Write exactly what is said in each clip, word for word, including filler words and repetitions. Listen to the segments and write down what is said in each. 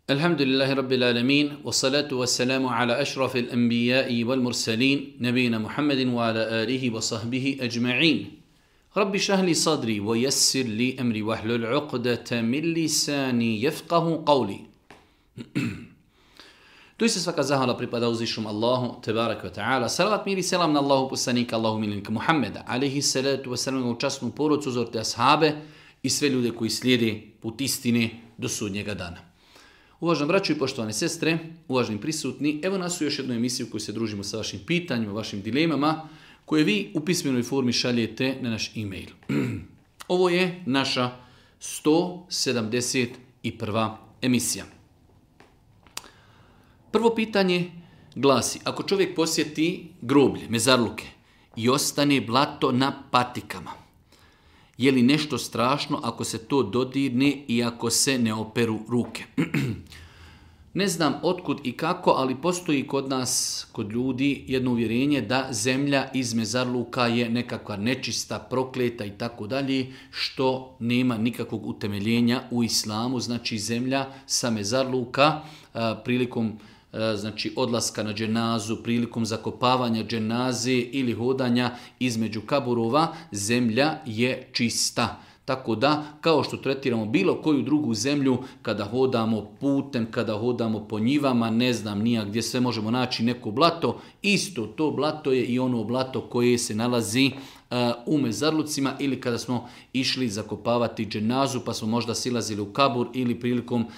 Alhamdulillahi Rabbil Alamin, wa salatu wa salamu ala ašrafil anbijai wal mursalin, nabijina Muhammedin wa ala alihi wa sahbihi ajma'in. Rabbi šahli sadri wa yassir li amri wa hlul uqdata min lisani yafqahu qawli. Tu se svaka zahvala pripada uzvišnom Allahu, tebarek wa ta'ala. Salavat mir i selam na Allahu poslanika, Allahu miljenika Muhammeda, alaihi salatu wa salam, u časnu porodcu, uzorte ashabe i sve ljude koji slijede put istine do sudnjega dana. Uvaženi braćo i poštovane sestre, uvaženi prisutni, evo nas u još jednu emisiju koju se družimo sa vašim pitanjima, vašim dilemama, koje vi u pismenoj formi šaljete na naš e-mail. Ovo je naša sto sedamdeset prva emisija. Prvo pitanje glasi, ako čovjek posjeti groblje, mezarluke i ostane blato na patikama, je li nešto strašno ako se to dodirne i ako se ne operu ruke? Ne znam otkud i kako, ali postoji kod nas, kod ljudi, jedno uvjerenje da zemlja iz mezarluka je nekakva nečista, prokleta i tako dalje, što nema nikakvog utemeljenja u islamu. Znači zemlja sa mezarluka a, prilikom znači odlaska na dženazu, prilikom zakopavanja dženaze ili hodanja između kaburova, zemlja je čista. Tako da, kao što tretiramo bilo koju drugu zemlju, kada hodamo putem, kada hodamo po njivama, ne znam nija gdje sve možemo naći neko blato, isto to blato je i ono blato koje se nalazi uh, u mezarlucima ili kada smo išli zakopavati dženazu pa smo možda silazili u kabur ili prilikom uh,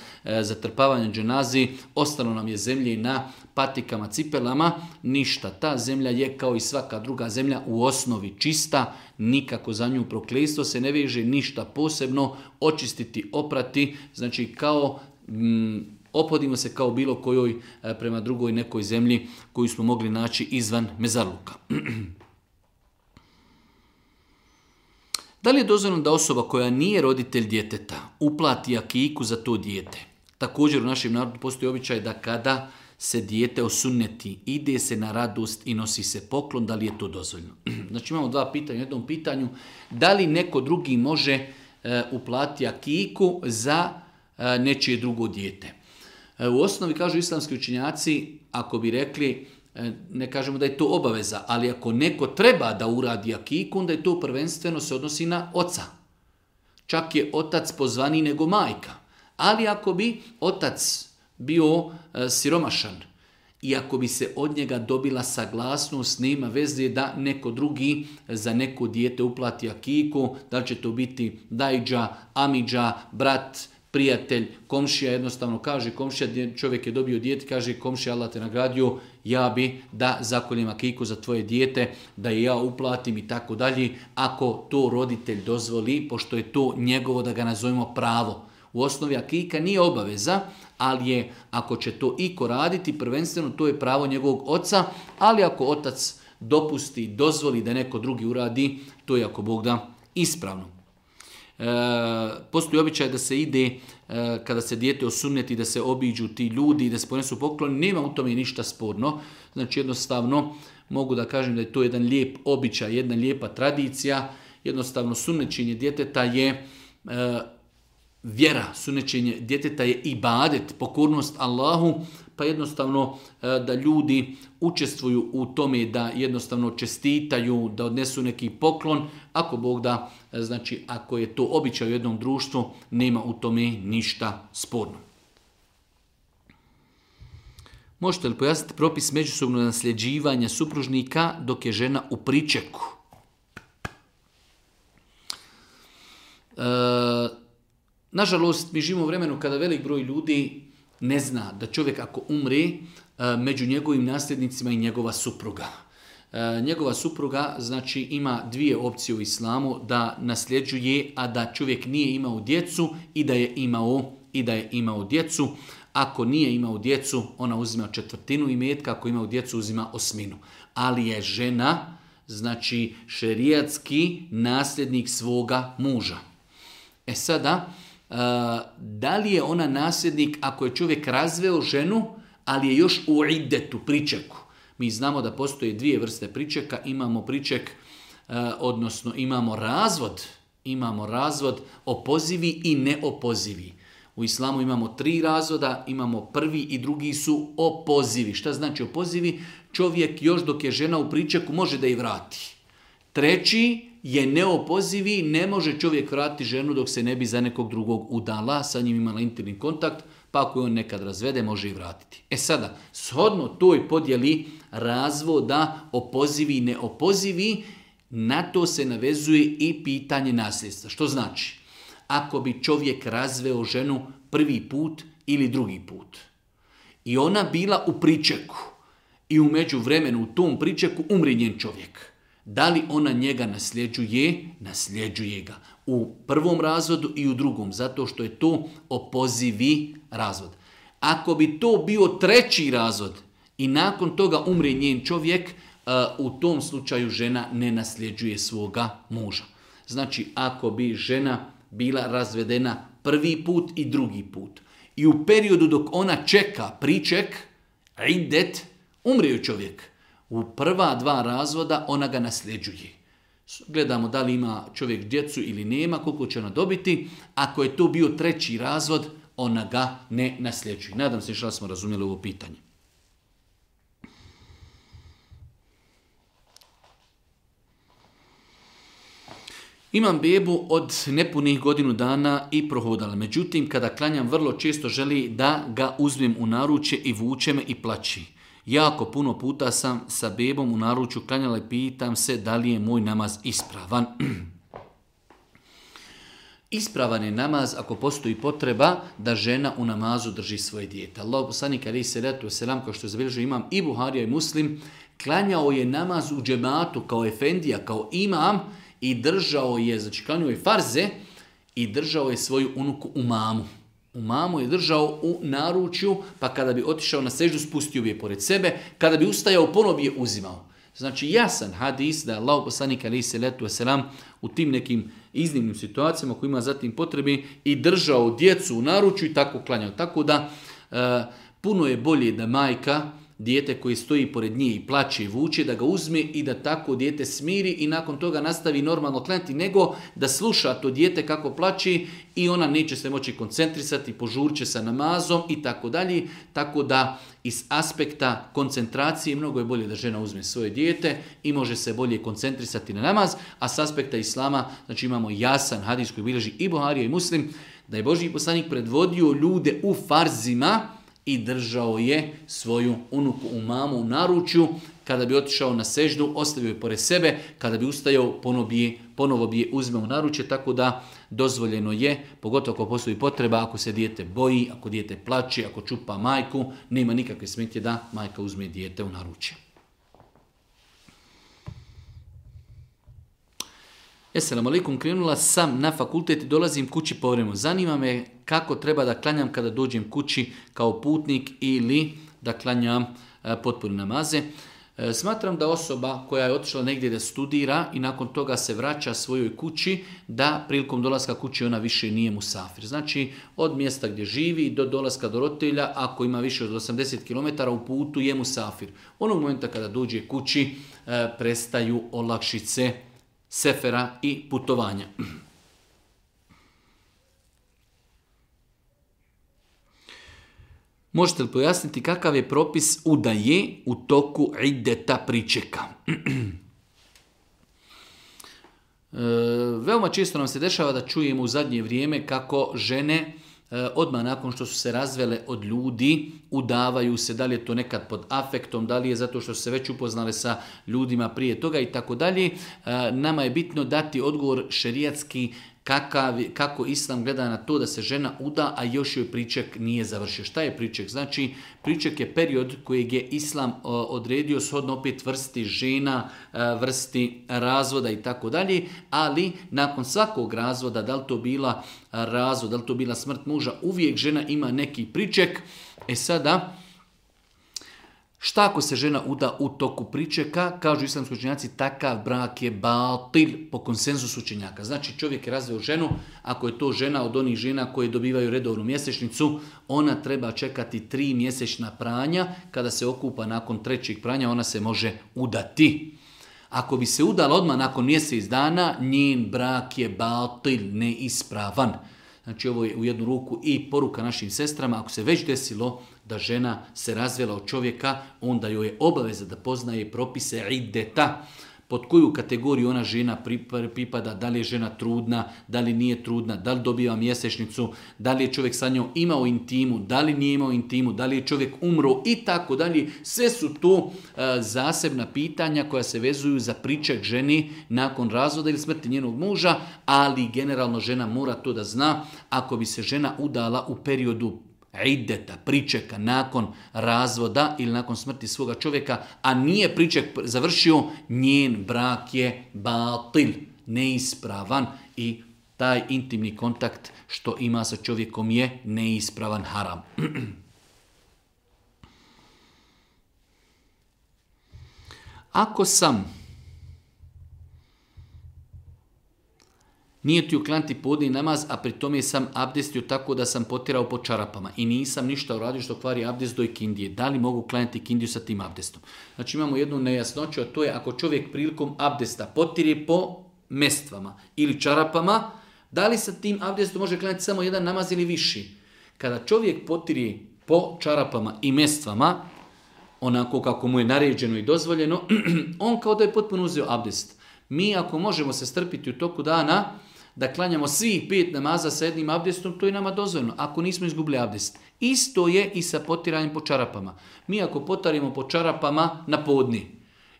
zatrpavanja dženazi, ostalo nam je zemlje na patikama, cipelama, ništa. Ta zemlja je kao i svaka druga zemlja u osnovi čista, nikako za nju prokletstvo se ne veže, ništa posebno, očistiti, oprati, znači kao mm, ophodimo se kao bilo kojoj e, prema drugoj nekoj zemlji koju smo mogli naći izvan mezarluka. Da li je dozvoljeno da osoba koja nije roditelj djeteta uplati akiku za to dijete? Također u našem narodu postoji običaj da kada se dijete osunneti, ide se na radost i nosi se poklon, da li je to dozvoljeno? Znači imamo dva pitanja u jednom pitanju. Da li neko drugi može e, uplatiti akiku za e, nečije drugo dijete? E, u osnovi kažu islamski učenjaci, ako bi rekli, e, ne kažemo da je to obaveza, ali ako neko treba da uradi akiku, onda je to prvenstveno se odnosi na oca. Čak je otac pozvaniji nego majka. Ali ako bi otac bio e, siromašan i ako bi se od njega dobila saglasnost, nema veze da neko drugi za neko dijete uplati akiku, da li će to biti dajđa, amidža, brat, prijatelj, komšija, jednostavno kaže komšija, čovjek je dobio dijete, kaže komšija, Allah te nagradio, ja bi da zakoljem akiku za tvoje dijete, da je ja uplatim i tako dalje, ako to roditelj dozvoli, pošto je to njegovo, da ga nazovemo, pravo. U osnovi akika nije obaveza, ali je, ako će to iko raditi, prvenstveno to je pravo njegovog oca, ali ako otac dopusti, dozvoli da neko drugi uradi, to je ako Bog da ispravno. E, postoji običaj da se ide, e, kada se dijete osunneti, da se obiđu ti ljudi i da se ponesu pokloni, nema u tome ništa sporno. Znači jednostavno mogu da kažem da je to jedan lijep običaj, jedna lijepa tradicija. Jednostavno sunnećenje djeteta je e, vjera, sunnećenje djeteta je ibadet, pokornost Allahu, pa jednostavno da ljudi učestvuju u tome, da jednostavno čestitaju, da odnesu neki poklon, ako Bog da, znači ako je to običaj u jednom društvu, nema u tome ništa sporno. Možete li pojasniti propis međusobnog nasljeđivanja supružnika dok je žena u pričeku? E, Nažalost, mi živimo u vremenu kada velik broj ljudi ne zna da čovjek ako umre, među njegovim nasljednicima i njegova supruga. Njegova supruga znači ima dvije opcije u islamu, da nasljeđuje, a da čovjek nije imao djecu i da je imao, i da je imao djecu. Ako nije imao djecu, ona uzima četvrtinu imetka, ako ima djecu uzima osminu. Ali je žena, znači šerijatski nasljednik svoga muža. E sada, Uh, da li je ona nasljednik ako je čovjek razveo ženu, ali je još u iddetu, pričeku? Mi znamo da postoje dvije vrste pričeka, imamo priček, uh, odnosno imamo razvod, imamo razvod opozivi i neopozivi. U islamu imamo tri razvoda, imamo prvi i drugi su opozivi. Šta znači opozivi? Čovjek još dok je žena u pričeku može da je vrati. Treći je neopozivi, ne može čovjek vratiti ženu dok se ne bi za nekog drugog udala, sa njim imala intimni kontakt, pa ako je on nekad razvede, može i vratiti. E sada, shodno toj podjeli razvoda, opozivi i neopozivi, na to se navezuje i pitanje nasljedstva. Što znači? Ako bi čovjek razveo ženu prvi put ili drugi put i ona bila u pričeku i u međuvremenu u tom pričeku umri njen čovjek, da li ona njega nasljeđuje? Nasljeđuje ga. U prvom razvodu i u drugom, zato što je to opozivi razvod. Ako bi to bio treći razvod i nakon toga umre njen čovjek, u tom slučaju žena ne nasljeđuje svoga muža. Znači, ako bi žena bila razvedena prvi put i drugi put i u periodu dok ona čeka priček, idet, umre joj čovjek. U prva dva razvoda ona ga nasljeđuje. Gledamo da li ima čovjek djecu ili nema, koliko će ona dobiti. Ako je to bio treći razvod, ona ga ne nasljeđuje. Nadam se što smo razumjeli ovo pitanje. Imam bebu od nepunih godinu dana i prohodala. Međutim, kada klanjam, vrlo često želi da ga uzmem u naručje i vuče me i plaći. Jako puno puta sam sa bebom u naručju klanjala i pitam se da li je moj namaz ispravan. Ispravan je namaz ako postoji potreba da žena u namazu drži svoje dijete. Allah poslanik alejhi selatu vesselam, kao što je zabilježio imam i Buharija i Muslim, klanjao je namaz u džematu kao efendija, kao imam i držao je, znači klanjao je farze i držao je svoju unuku u mamu. U mamu je držao u naručju, pa kada bi otišao na seždu, spustio bi je pored sebe, kada bi ustajao, ponovo bi je uzimao. Znači jasan hadis da je Allah poslanik alejhi selatu vesselam u tim nekim iznimnim situacijama koji ima zatim potrebi i držao djecu u naručju i tako klanjao. Tako da e, puno je bolje da majka dijete koji stoji pored nje i plaće i vuče, da ga uzme i da tako dijete smiri i nakon toga nastavi normalno klanjati, nego da sluša to dijete kako plaće i ona neće se moći koncentrisati, požurće sa namazom i tako dalje. Tako da iz aspekta koncentracije mnogo je bolje da žena uzme svoje dijete i može se bolje koncentrisati na namaz, a s aspekta islama, znači imamo jasan hadis koji bilježi i Buharija i Muslim, da je Božji poslanik predvodio ljude u farzima i držao je svoju unuku u mamu u naručju. Kada bi otišao na seždu, ostavio je pored sebe. Kada bi ustajao, ponovo bi je, ponovo bi je uzmeo u naručje. Tako da dozvoljeno je, pogotovo ako postoji potreba, ako se dijete boji, ako dijete plače, ako čupa majku, nema nikakve smetnje da majka uzme dijete u naručje. Esselamu alaikum, krenula sam na fakultet i dolazim kući povremeno. Zanima me kako treba da klanjam kada dođem kući kao putnik ili da klanjam e, potpune namaze. E, smatram da osoba koja je otišla negdje da studira i nakon toga se vraća svojoj kući, da prilikom dolaska kući ona više nije musafir. Znači od mjesta gdje živi do dolaska do roditelja, ako ima više od osamdeset kilometara u putu, je musafir. Onog momenta kada dođe kući e, prestaju olakšice sefera i putovanja. Možete li pojasniti kakav je propis udaje u toku ideta pričeka? e, veoma često nam se dešava da čujemo u zadnje vrijeme kako žene odmah nakon što su se razvele od ljudi, udavaju se, da li je to nekad pod afektom, da li je zato što su se već upoznale sa ljudima prije toga i tako dalje. Nama je bitno dati odgovor šerijatski kakav, kako Islam gleda na to da se žena uda, a još joj priček nije završio. Šta je priček? Znači, priček je period kojeg je Islam odredio shodno opet vrsti žena, vrsti razvoda i tako dalje, ali nakon svakog razvoda, da li to bila razvod, da li to bila smrt muža, uvijek žena ima neki priček. E sada, šta ako se žena uda u toku pričeka? Kažu islamski učenjaci, takav brak je batil po konsenzusu učenjaka. Znači čovjek je razveo ženu, ako je to žena od onih žena koje dobivaju redovnu mjesečnicu, ona treba čekati tri mjesečna pranja. Kada se okupa nakon trećeg pranja, ona se može udati. Ako bi se udala odmah nakon mjesec dana, njen brak je batil, neispravan. Znači ovo je u jednu ruku i poruka našim sestrama, ako se već desilo da žena se razvela od čovjeka, onda joj je obaveza da poznaje propise iddeta, pod koju kategoriju ona žena pripada, da li je žena trudna, da li nije trudna, da li dobiva mjesečnicu, da li je čovjek sa njom imao intimu, da li nije imao intimu, da li je čovjek umro i tako dalje. Sve su to e, zasebna pitanja koja se vezuju za priček ženi nakon razvoda ili smrti njenog muža, ali generalno žena mora to da zna. Ako bi se žena udala u periodu iddeta, pričeka, nakon razvoda ili nakon smrti svoga čovjeka, a nije priček završio, njen brak je batil, neispravan i taj intimni kontakt što ima sa čovjekom je neispravan, haram. Ako sam nije ti uklanti podni namaz, a pri tome sam abdestio tako da sam potirao po čarapama i nisam ništa uradio što kvari abdest do ikindije. Da li mogu klanjati ikindiju sa tim abdestom? Znači imamo jednu nejasnoću, a to je ako čovjek prilikom abdesta potire po mestvama ili čarapama, da li sa tim abdestom može klanjati samo jedan namaz ili viši? Kada čovjek potire po čarapama i mestvama, onako kako mu je naređeno i dozvoljeno, on kao da je potpuno uzeo abdest. Mi ako možemo se strpiti u toku dana da klanjamo svih pet namaza sa jednim abdestom, to je nama dozvoljeno, ako nismo izgubili abdest. Isto je i sa potiranjem po čarapama. Mi ako potarimo po čarapama na podni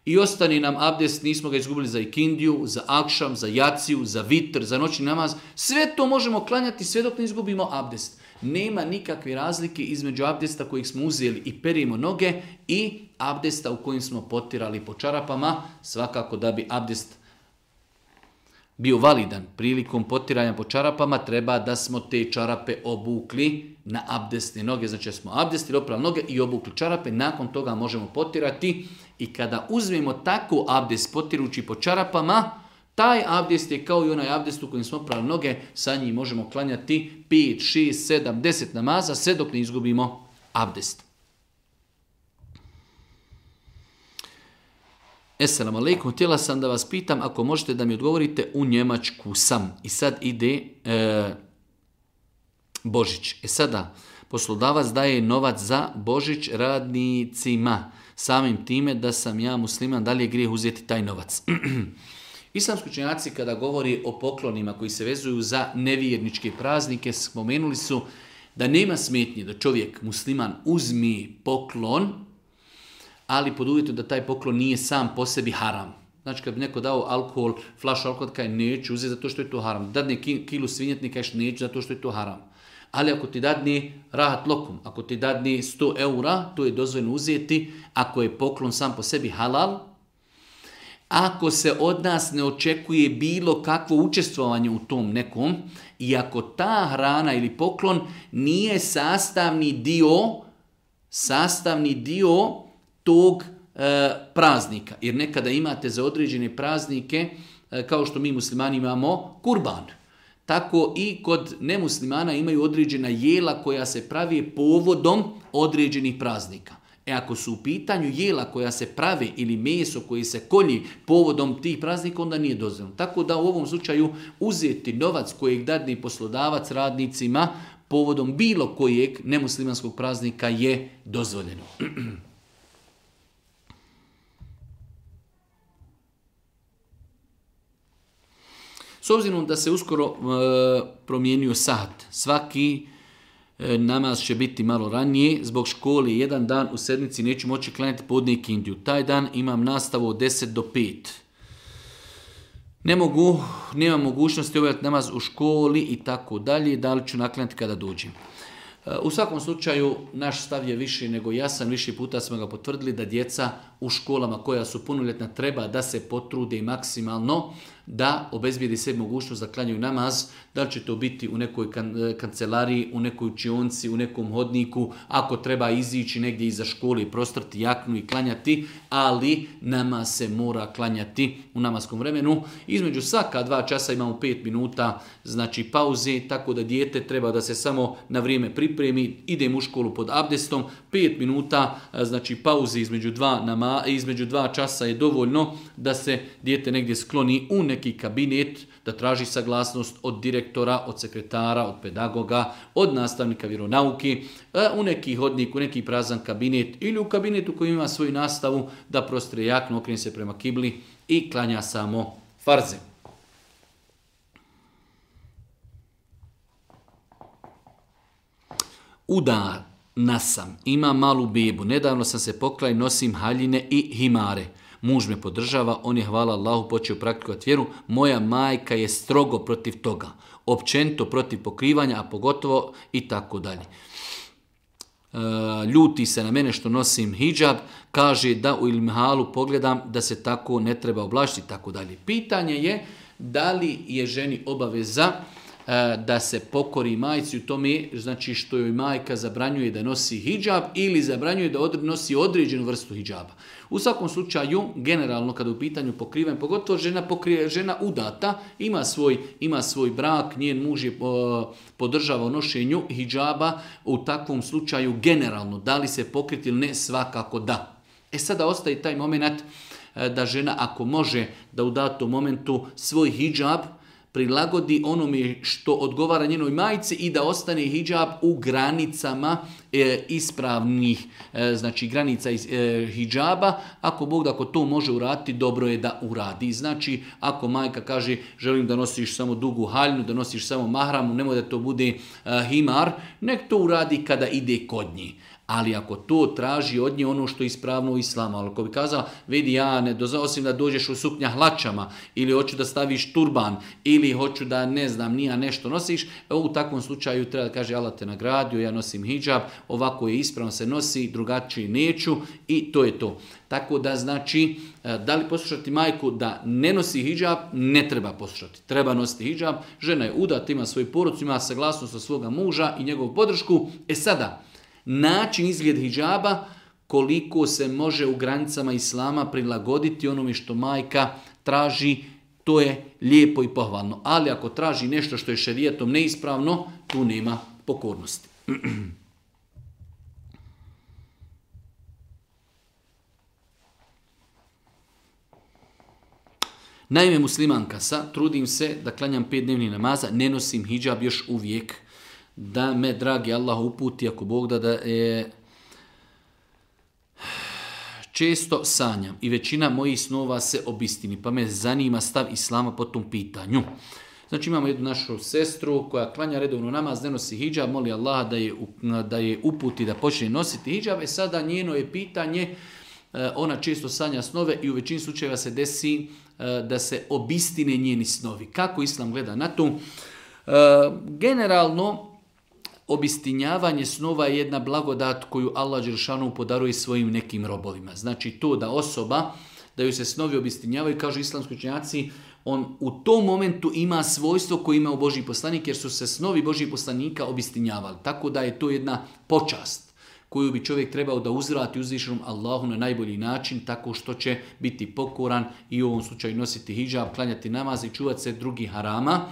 i ostane nam abdest, nismo ga izgubili za ikindiju, za akšam, za jaciju, za vitr, za noćni namaz, sve to možemo klanjati sve dok ne izgubimo abdest. Nema nikakve razlike između abdesta kojeg smo uzeli i perimo noge i abdesta u kojim smo potirali po čarapama. Svakako da bi abdest bio validan prilikom potiranja po čarapama, treba da smo te čarape obukli na abdestne noge. Znači smo abdestili, oprali noge i obukli čarape, nakon toga možemo potirati i kada uzmemo tako abdest potirući po čarapama, taj abdest je kao i onaj abdest u kojem smo oprali noge, sa njim možemo klanjati pet, šest, sedam, deset namaza, sve dok ne izgubimo abdest. Esselamu alaikum, htjela sam da vas pitam, ako možete da mi odgovorite, u Njemačku sam. I sad ide e, Božić. E sada, poslodavac daje novac za Božić radnicima. Samim time da sam ja musliman, da li je grijeh uzeti taj novac? Islamski učenjaci kada govori o poklonima koji se vezuju za nevjerničke praznike, spomenuli su da nema smetnje da čovjek musliman uzmi poklon, ali pod uvjetom da taj poklon nije sam po sebi haram. Znači kad bi neko dao alkohol, flašu alkohola, kaj neću uzeti zato što je to haram. Dadne kilu svinjetnika, kažeš neću zato što je to haram. Ali ako ti dadne rahat lokum, ako ti dadne sto eura, to je dozvoljeno uzeti ako je poklon sam po sebi halal. Ako se od nas ne očekuje bilo kakvo učestvovanje u tom nekom i ako ta hrana ili poklon nije sastavni dio, sastavni dio tog e, praznika. Jer nekada imate za određene praznike, e, kao što mi muslimani imamo kurban. Tako i kod nemuslimana imaju određena jela koja se pravi povodom određenih praznika. E ako su u pitanju jela koja se prave ili meso koji se kolji povodom tih praznika, onda nije dozvoljeno. Tako da u ovom slučaju uzeti novac kojeg dadne poslodavac radnicima povodom bilo kojeg nemuslimanskog praznika je dozvoljeno. S obzirom da se uskoro e, promijenio sat, svaki e, namaz će biti malo ranije, zbog škole jedan dan u sedmici neću moći klanjati podne ikindiju. Taj dan imam nastavu od deset do pet. Ne mogu, nemam mogućnosti obavljati namaz u školi i tako dalje, da li ću naklanjati kada dođem. E, u svakom slučaju, naš stav je više nego jasan, više puta smo ga potvrdili da djeca u školama koja su punoljetna treba da se potrude i maksimalno da obezbijedi se mogućnost da klanjaju namaz, da li će to biti u nekoj kan- kancelariji, u nekoj učionci, u nekom hodniku, ako treba izići negdje iza škole i prostrati jaknu i klanjati, ali namaz se mora klanjati u namaskom vremenu. Između svaka dva časa imamo pet minuta, znači pauze, tako da dijete treba da se samo na vrijeme pripremi, idem u školu pod abdestom, pet minuta, znači pauze između dva, nama, između dva časa je dovoljno da se dijete negdje skloni u neki neki kabinet da traži saglasnost od direktora, od sekretara, od pedagoga, od nastavnika vjeronauke, u neki hodnik, u neki prazan kabinet ili u kabinetu koji ima svoju nastavu da prostre jaknu, okrene se prema kibli i klanja samo farze. Udana sam, imam malu bebu, nedavno sam se poklao i nosim haljine i himare. Muž me podržava, on je, hvala Allahu, počeo praktikovati vjeru. Moja majka je strogo protiv toga, općenito protiv pokrivanja, a pogotovo i tako dalje. Ljuti se na mene što nosim hidžab, kaže da u ilmihalu pogledam da se tako ne treba oblačiti i tako dalje. Pitanje je da li je ženi obaveza da se pokori majci u tome, znači što joj majka zabranjuje da nosi hidžab ili zabranjuje da od, nosi određenu vrstu hidžaba. U svakom slučaju, generalno kada u pitanju pokrivanja, pogotovo žena, pokrije, žena udata, ima svoj, ima svoj brak, njen muž je podržava u nošenju hidžaba, u takvom slučaju generalno, da li se pokriti ili ne, svakako da. E sada ostaje taj moment da žena ako može da u datom momentu svoj hidžab prilagodi onome što odgovara njenoj majci i da ostane hidžab u granicama e, ispravnih, e, znači granica iz, e, hidžaba. Ako Bog da ako to može uraditi, dobro je da uradi. Znači, ako majka kaže želim da nosiš samo dugu haljnu, da nosiš samo mahramu, nemoj da to bude e, himar, nek to uradi kada ide kod nje. Ali ako to traži od nje ono što je ispravno u islamu, ali ako bi kazala, vidi ja ne dozvolim da dođeš u suknja hlačama, ili hoću da staviš turban, ili hoću da ne znam, nija nešto nosiš, u takvom slučaju treba da kaže Allah te nagradio, ja nosim hidžab, ovako je ispravno se nosi, drugačije neću i to je to. Tako da znači, da li poslušati majku da ne nosi hidžab, ne treba poslušati. Treba nositi hidžab, žena je udata, ima svoju porodcu, ima saglasnost od svoga muža i njegovu podršku. E sada, način izgled hidžaba, koliko se može u granicama islama prilagoditi onome što majka traži, to je lijepo i pohvalno. Ali ako traži nešto što je šerijatom neispravno, tu nema pokornosti. Naime, muslimanka sa, trudim se da klanjam pet dnevnih namaza, ne nosim hidžab još uvijek. Da me, dragi Allah, uputi, ako Bog da, da je... Često sanjam i većina mojih snova se obistini, pa me zanima stav islama po tom pitanju. Znači imamo jednu našu sestru koja klanja redovno namaz, ne nosi hidžab, moli Allaha da je, da je uputi da počne nositi hidžab. E sada njeno je pitanje, ona često sanja snove i u većini slučajeva se desi da se obistine njeni snovi. Kako islam gleda na to? Generalno, obistinjavanje snova je jedna blagodat koju Allah dželešanu podaruje svojim nekim robovima. Znači to da osoba, da joj se snovi obistinjavaju, kažu islamski učenjaci, on u tom momentu ima svojstvo koje ima u Božji poslanik, jer su se snovi Božjih poslanika obistinjavali. Tako da je to jedna počast koju bi čovjek trebao da uzvrati uzvišenom Allahu na najbolji način, tako što će biti pokoran i u ovom slučaju nositi hidžab, klanjati namaz i čuvati se drugih harama.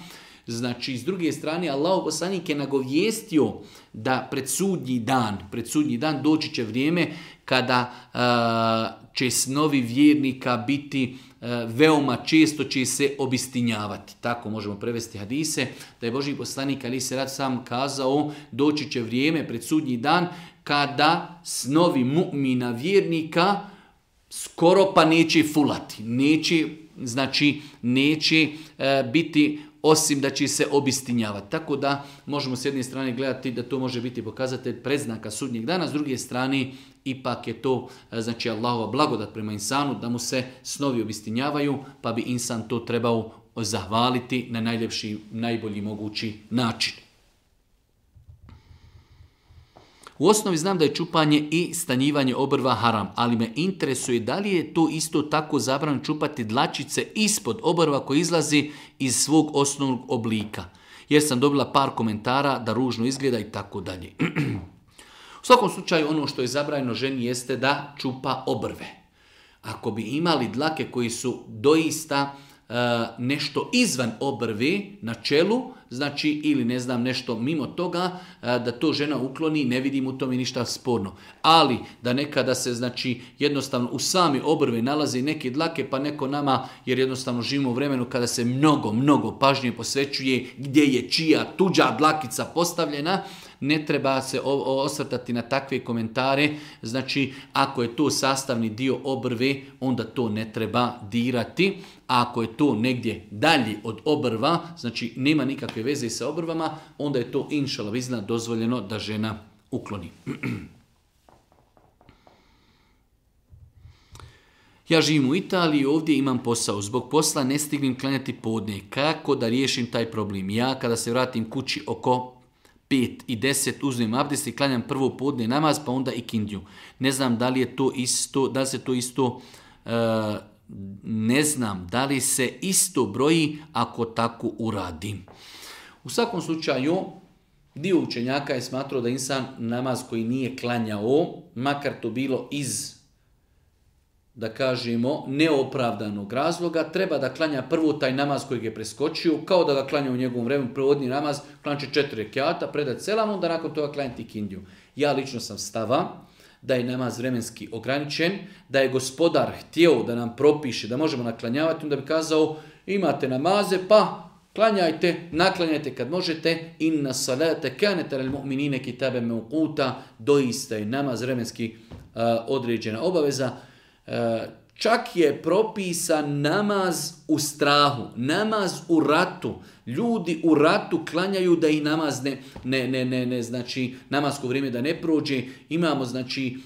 Znači, s druge strane, Allahov poslanik je nagovijestio da pred sudnji dan, pred sudnji dan doći će vrijeme kada uh, će snovi vjernika biti uh, veoma često će se obistinjavati. Tako možemo prevesti hadise, da je Božji poslanik ali se rad sam kazao, doći će vrijeme pred sudnji dan kada snovi mu'mina vjernika skoro pa neće fulati, neće, znači neće uh, biti osim da će se obistinjavati. Tako da možemo s jedne strane gledati da to može biti pokazatelj predznaka sudnjeg dana, s druge strane ipak je to znači Allahova blagodat prema insanu da mu se snovi obistinjavaju, pa bi insan to trebao zahvaliti na najljepši, najbolji mogući način. U osnovi znam da je čupanje i stanjivanje obrva haram, ali me interesuje da li je to isto tako zabranjeno čupati dlačice ispod obrva koji izlazi iz svog osnovnog oblika. Jer sam dobila par komentara da ružno izgleda i tako dalje. U svakom slučaju ono što je zabranjeno ženi jeste da čupa obrve. Ako bi imali dlake koji su doista nešto izvan obrvi na čelu, znači ili ne znam nešto mimo toga, da to žena ukloni, ne vidim u tome ništa sporno. Ali da nekada se znači jednostavno u sami obrvi nalazi neke dlake, pa neko nama, jer jednostavno živimo u vremenu kada se mnogo, mnogo pažnje posvećuje gdje je čija tuđa dlakica postavljena, ne treba se osvrtati na takve komentare. Znači, ako je to sastavni dio obrve, onda to ne treba dirati. A ako je to negdje dalje od obrva, znači nema nikakve veze sa obrvama, onda je to inšala vizna dozvoljeno da žena ukloni. Ja živim u Italiji, ovdje imam posao. Zbog posla ne stignem klanjati podne. Kako da riješim taj problem? Ja kada se vratim kući oko pet i deset uzmem abdest i klanjam prvo podne namaz, pa onda i kindiju. Ne znam da li je to isto, da li se to isto, uh, ne znam da li se isto broji ako tako uradim. U svakom slučaju, dio učenjaka je smatrao da insan namaz koji nije klanjao, makar to bilo iz, da kažemo, neopravdanog razloga, treba da klanja prvo taj namaz koji je preskočio, kao da ga klanja u njegovom vremenu, provodni namaz, klanče četiri rekjata, predat selam, onda nakon toga klanjati kindiju. Ja lično sam stava da je namaz vremenski ograničen, da je gospodar htio da nam propiše, da možemo naklanjavati, onda bi kazao, imate namaze, pa klanjajte, naklanjajte kad možete, inna salate kanat alal mu'minina kitaban mawquta, doista je namaz vremenski uh, određena obaveza. Čak je propisan namaz u strahu, namaz u ratu. Ljudi u ratu klanjaju da ih namaz ne, ne, ne, ne, ne znači namasko vrijeme da ne prođe. Imamo znači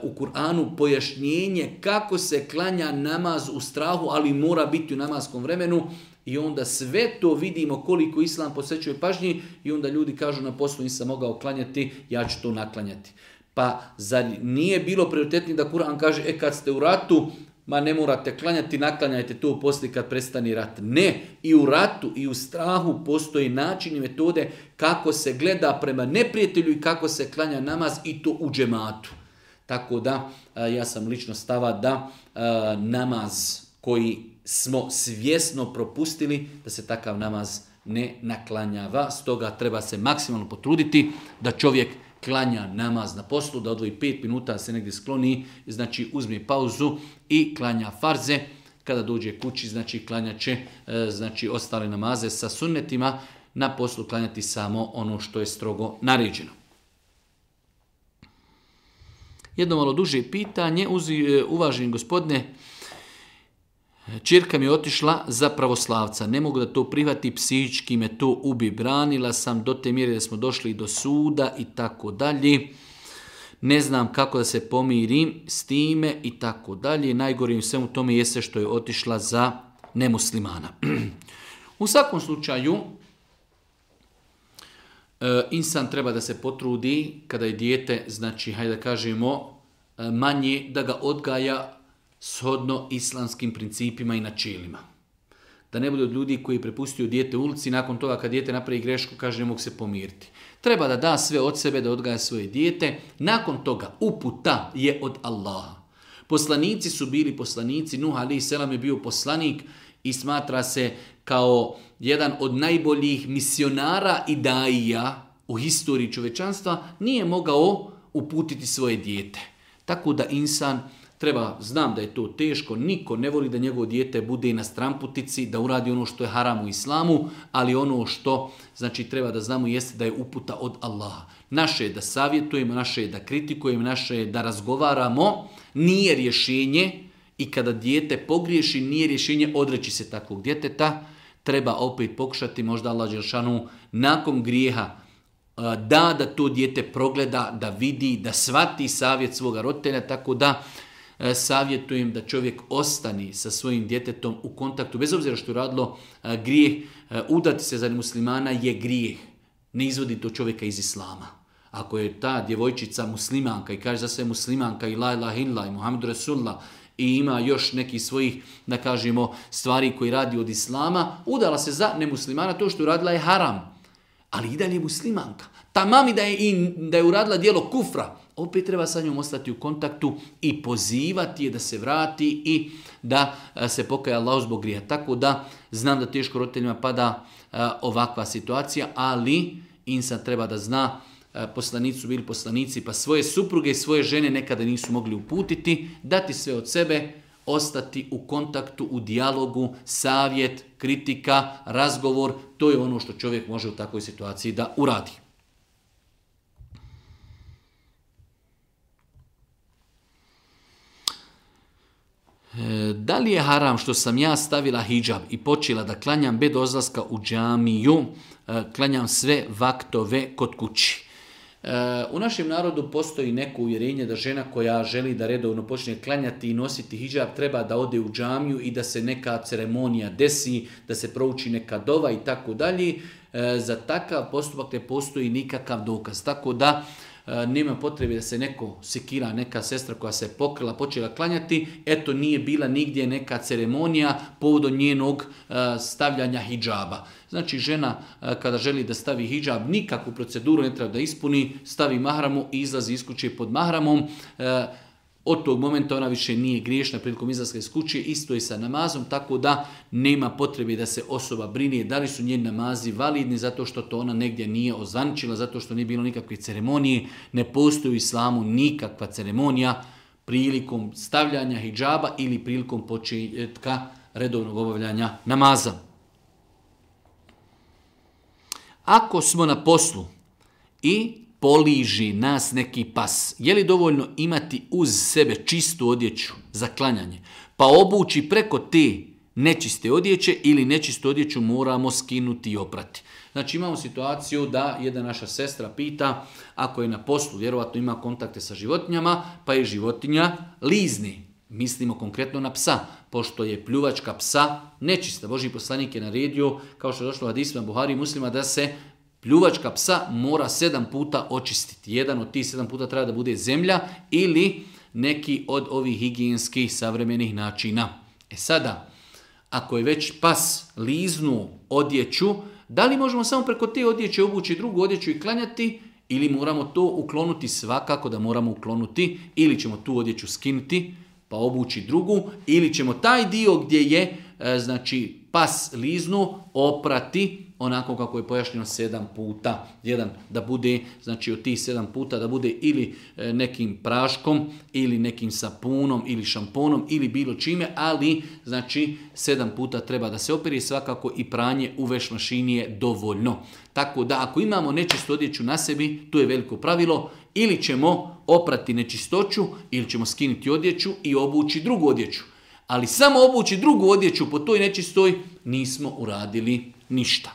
u Kur'anu pojašnjenje kako se klanja namaz u strahu, ali mora biti u namaskom vremenu. I onda sve to vidimo koliko Islam posvećuje pažnji i onda ljudi kažu na poslu nisam mogao klanjati, ja ću to naklanjati. Pa zar nije bilo prioritetnije da Kur'an kaže, e kad ste u ratu, ma ne morate klanjati, naklanjajte to poslije kad prestane rat. Ne, i u ratu i u strahu postoji način i metode kako se gleda prema neprijatelju i kako se klanja namaz i to u džematu. Tako da, ja sam lično stava da namaz koji smo svjesno propustili, da se takav namaz ne naklanjava. Stoga treba se maksimalno potruditi da čovjek klanja namaz na poslu, da odvoji pet minuta, da se negdje skloni, znači uzme pauzu i klanja farze. Kada dođe kući, znači klanja će znači, ostale namaze sa sunnetima, na poslu klanjati samo ono što je strogo naređeno. Jedno malo duže pitanje, uvaženi gospodine, ćerka mi je otišla za pravoslavca. Ne mogu da to prihvati, psihički me to ubi. Branila sam do te mjere da smo došli do suda i tako dalje. Ne znam kako da se pomirim s time i tako dalje. Najgore u svemu tome jeste što je otišla za nemuslimana. U svakom slučaju, insan treba da se potrudi kada je dijete, znači, hajde da kažemo, manje da ga odgaja shodno islamskim principima i načelima. Da ne bude od ljudi koji prepustio dijete u ulici, nakon toga kad dijete napravi grešku, kaže ne mogu se pomiriti. Treba da da sve od sebe, da odgaja svoje dijete. Nakon toga uputa je od Allaha. Poslanici su bili poslanici, Nuh alejhi selam je bio poslanik i smatra se kao jedan od najboljih misionara i daija u historiji čovečanstva, nije mogao uputiti svoje dijete. Tako da insan treba, znam da je to teško, niko ne voli da njegovo dijete bude na stramputici, da uradi ono što je haram u islamu, ali ono što znači treba da znamo jeste da je uputa od Allaha. Naše je da savjetujemo, naše je da kritikujemo, naše je da razgovaramo, nije rješenje i kada dijete pogriješi, nije rješenje odreći se takvog djeteta, treba opet pokušati, možda Allah dželešanu nakon grijeha da da to dijete progleda, da vidi, da shvati savjet svoga roditelja, tako da savjetujem da čovjek ostane sa svojim djetetom u kontaktu, bez obzira što je radilo grijeh, udati se za muslimana je grijeh, ne izvodi to čovjeka iz islama. Ako je ta djevojčica muslimanka i kaže za sve muslimanka i la ilaha illa i Muhammedu Rasulullah i ima još nekih svojih, da kažemo, stvari koji radi od islama, udala se za nemuslimana, to što je radila je haram. ali i dalje je muslimanka. Ta mami da je, i, da je uradila djelo kufra, opet treba sa njom ostati u kontaktu i pozivati je da se vrati i da se pokaje Allahu zbog grija. Tako da znam da teško roditeljima pada a, ovakva situacija, ali insan treba da zna, a, poslanici su bili poslanici, pa svoje supruge i svoje žene nekada nisu mogli uputiti, dati sve od sebe, ostati u kontaktu, u dijalogu, savjet, kritika, razgovor, to je ono što čovjek može u takvoj situaciji da uradi. Da li je haram što sam ja stavila hidžab i počela da klanjam bez odlaska u džamiju, klanjam sve vaktove kod kući? U našem narodu postoji neko uvjerenje da žena koja želi da redovno počne klanjati i nositi hidžab treba da ode u džamiju i da se neka ceremonija desi, da se prouči neka dova i tako dalje. Za takav postupak ne postoji nikakav dokaz. Tako da nema potrebe da se neko sekira, neka sestra koja se pokrila, počela klanjati, eto nije bila nigdje neka ceremonija povodom njenog stavljanja hidžaba. Znači žena kada želi da stavi hidžab, nikakvu proceduru ne treba da ispuni, stavi mahramu i izlazi iz kuće pod mahramom. Od tog momenta ona više nije griješna prilikom izlaska iz kuće, isto je sa namazom, tako da nema potrebe da se osoba brine da li su njeni namazi validni zato što to ona negdje nije ozvančila, zato što nije bilo nikakve ceremonije. Ne postoji u islamu nikakva ceremonija prilikom stavljanja hidžaba ili prilikom početka redovnog obavljanja namaza. Ako smo na poslu i poliži nas neki pas, je li dovoljno imati uz sebe čistu odjeću za klanjanje, pa obući preko te nečiste odjeće ili nečistu odjeću moramo skinuti i oprati? Znači imamo situaciju da jedna naša sestra pita, ako je na poslu, vjerovatno ima kontakte sa životinjama, pa je životinja lizni. Mislimo konkretno na psa, pošto je pljuvačka psa nečista. Božji poslanik je naredio, kao što je došlo u hadisima Buhari i Muslima, da se pljuvačka psa mora sedam puta očistiti. Jedan od tih sedam puta treba da bude zemlja ili neki od ovih higijenskih savremenih načina. E sada, ako je već pas liznu odjeću, da li možemo samo preko te odjeće obući drugu odjeću i klanjati ili moramo to uklonuti? Svakako da moramo uklonuti, ili ćemo tu odjeću skinuti pa obući drugu, ili ćemo taj dio gdje je e, znači pas liznu oprati onako kako je pojašnjeno sedam puta. Jedan da bude, znači od tih sedam puta da bude ili e, nekim praškom, ili nekim sapunom, ili šamponom, ili bilo čime, ali znači sedam puta treba da se operi, svakako i pranje u veš mašini je dovoljno. Tako da ako imamo nečistu odjeću na sebi, tu je veliko pravilo, ili ćemo oprati nečistoću, ili ćemo skinuti odjeću i obući drugu odjeću. Ali samo obući drugu odjeću po toj nečistoj nismo uradili ništa.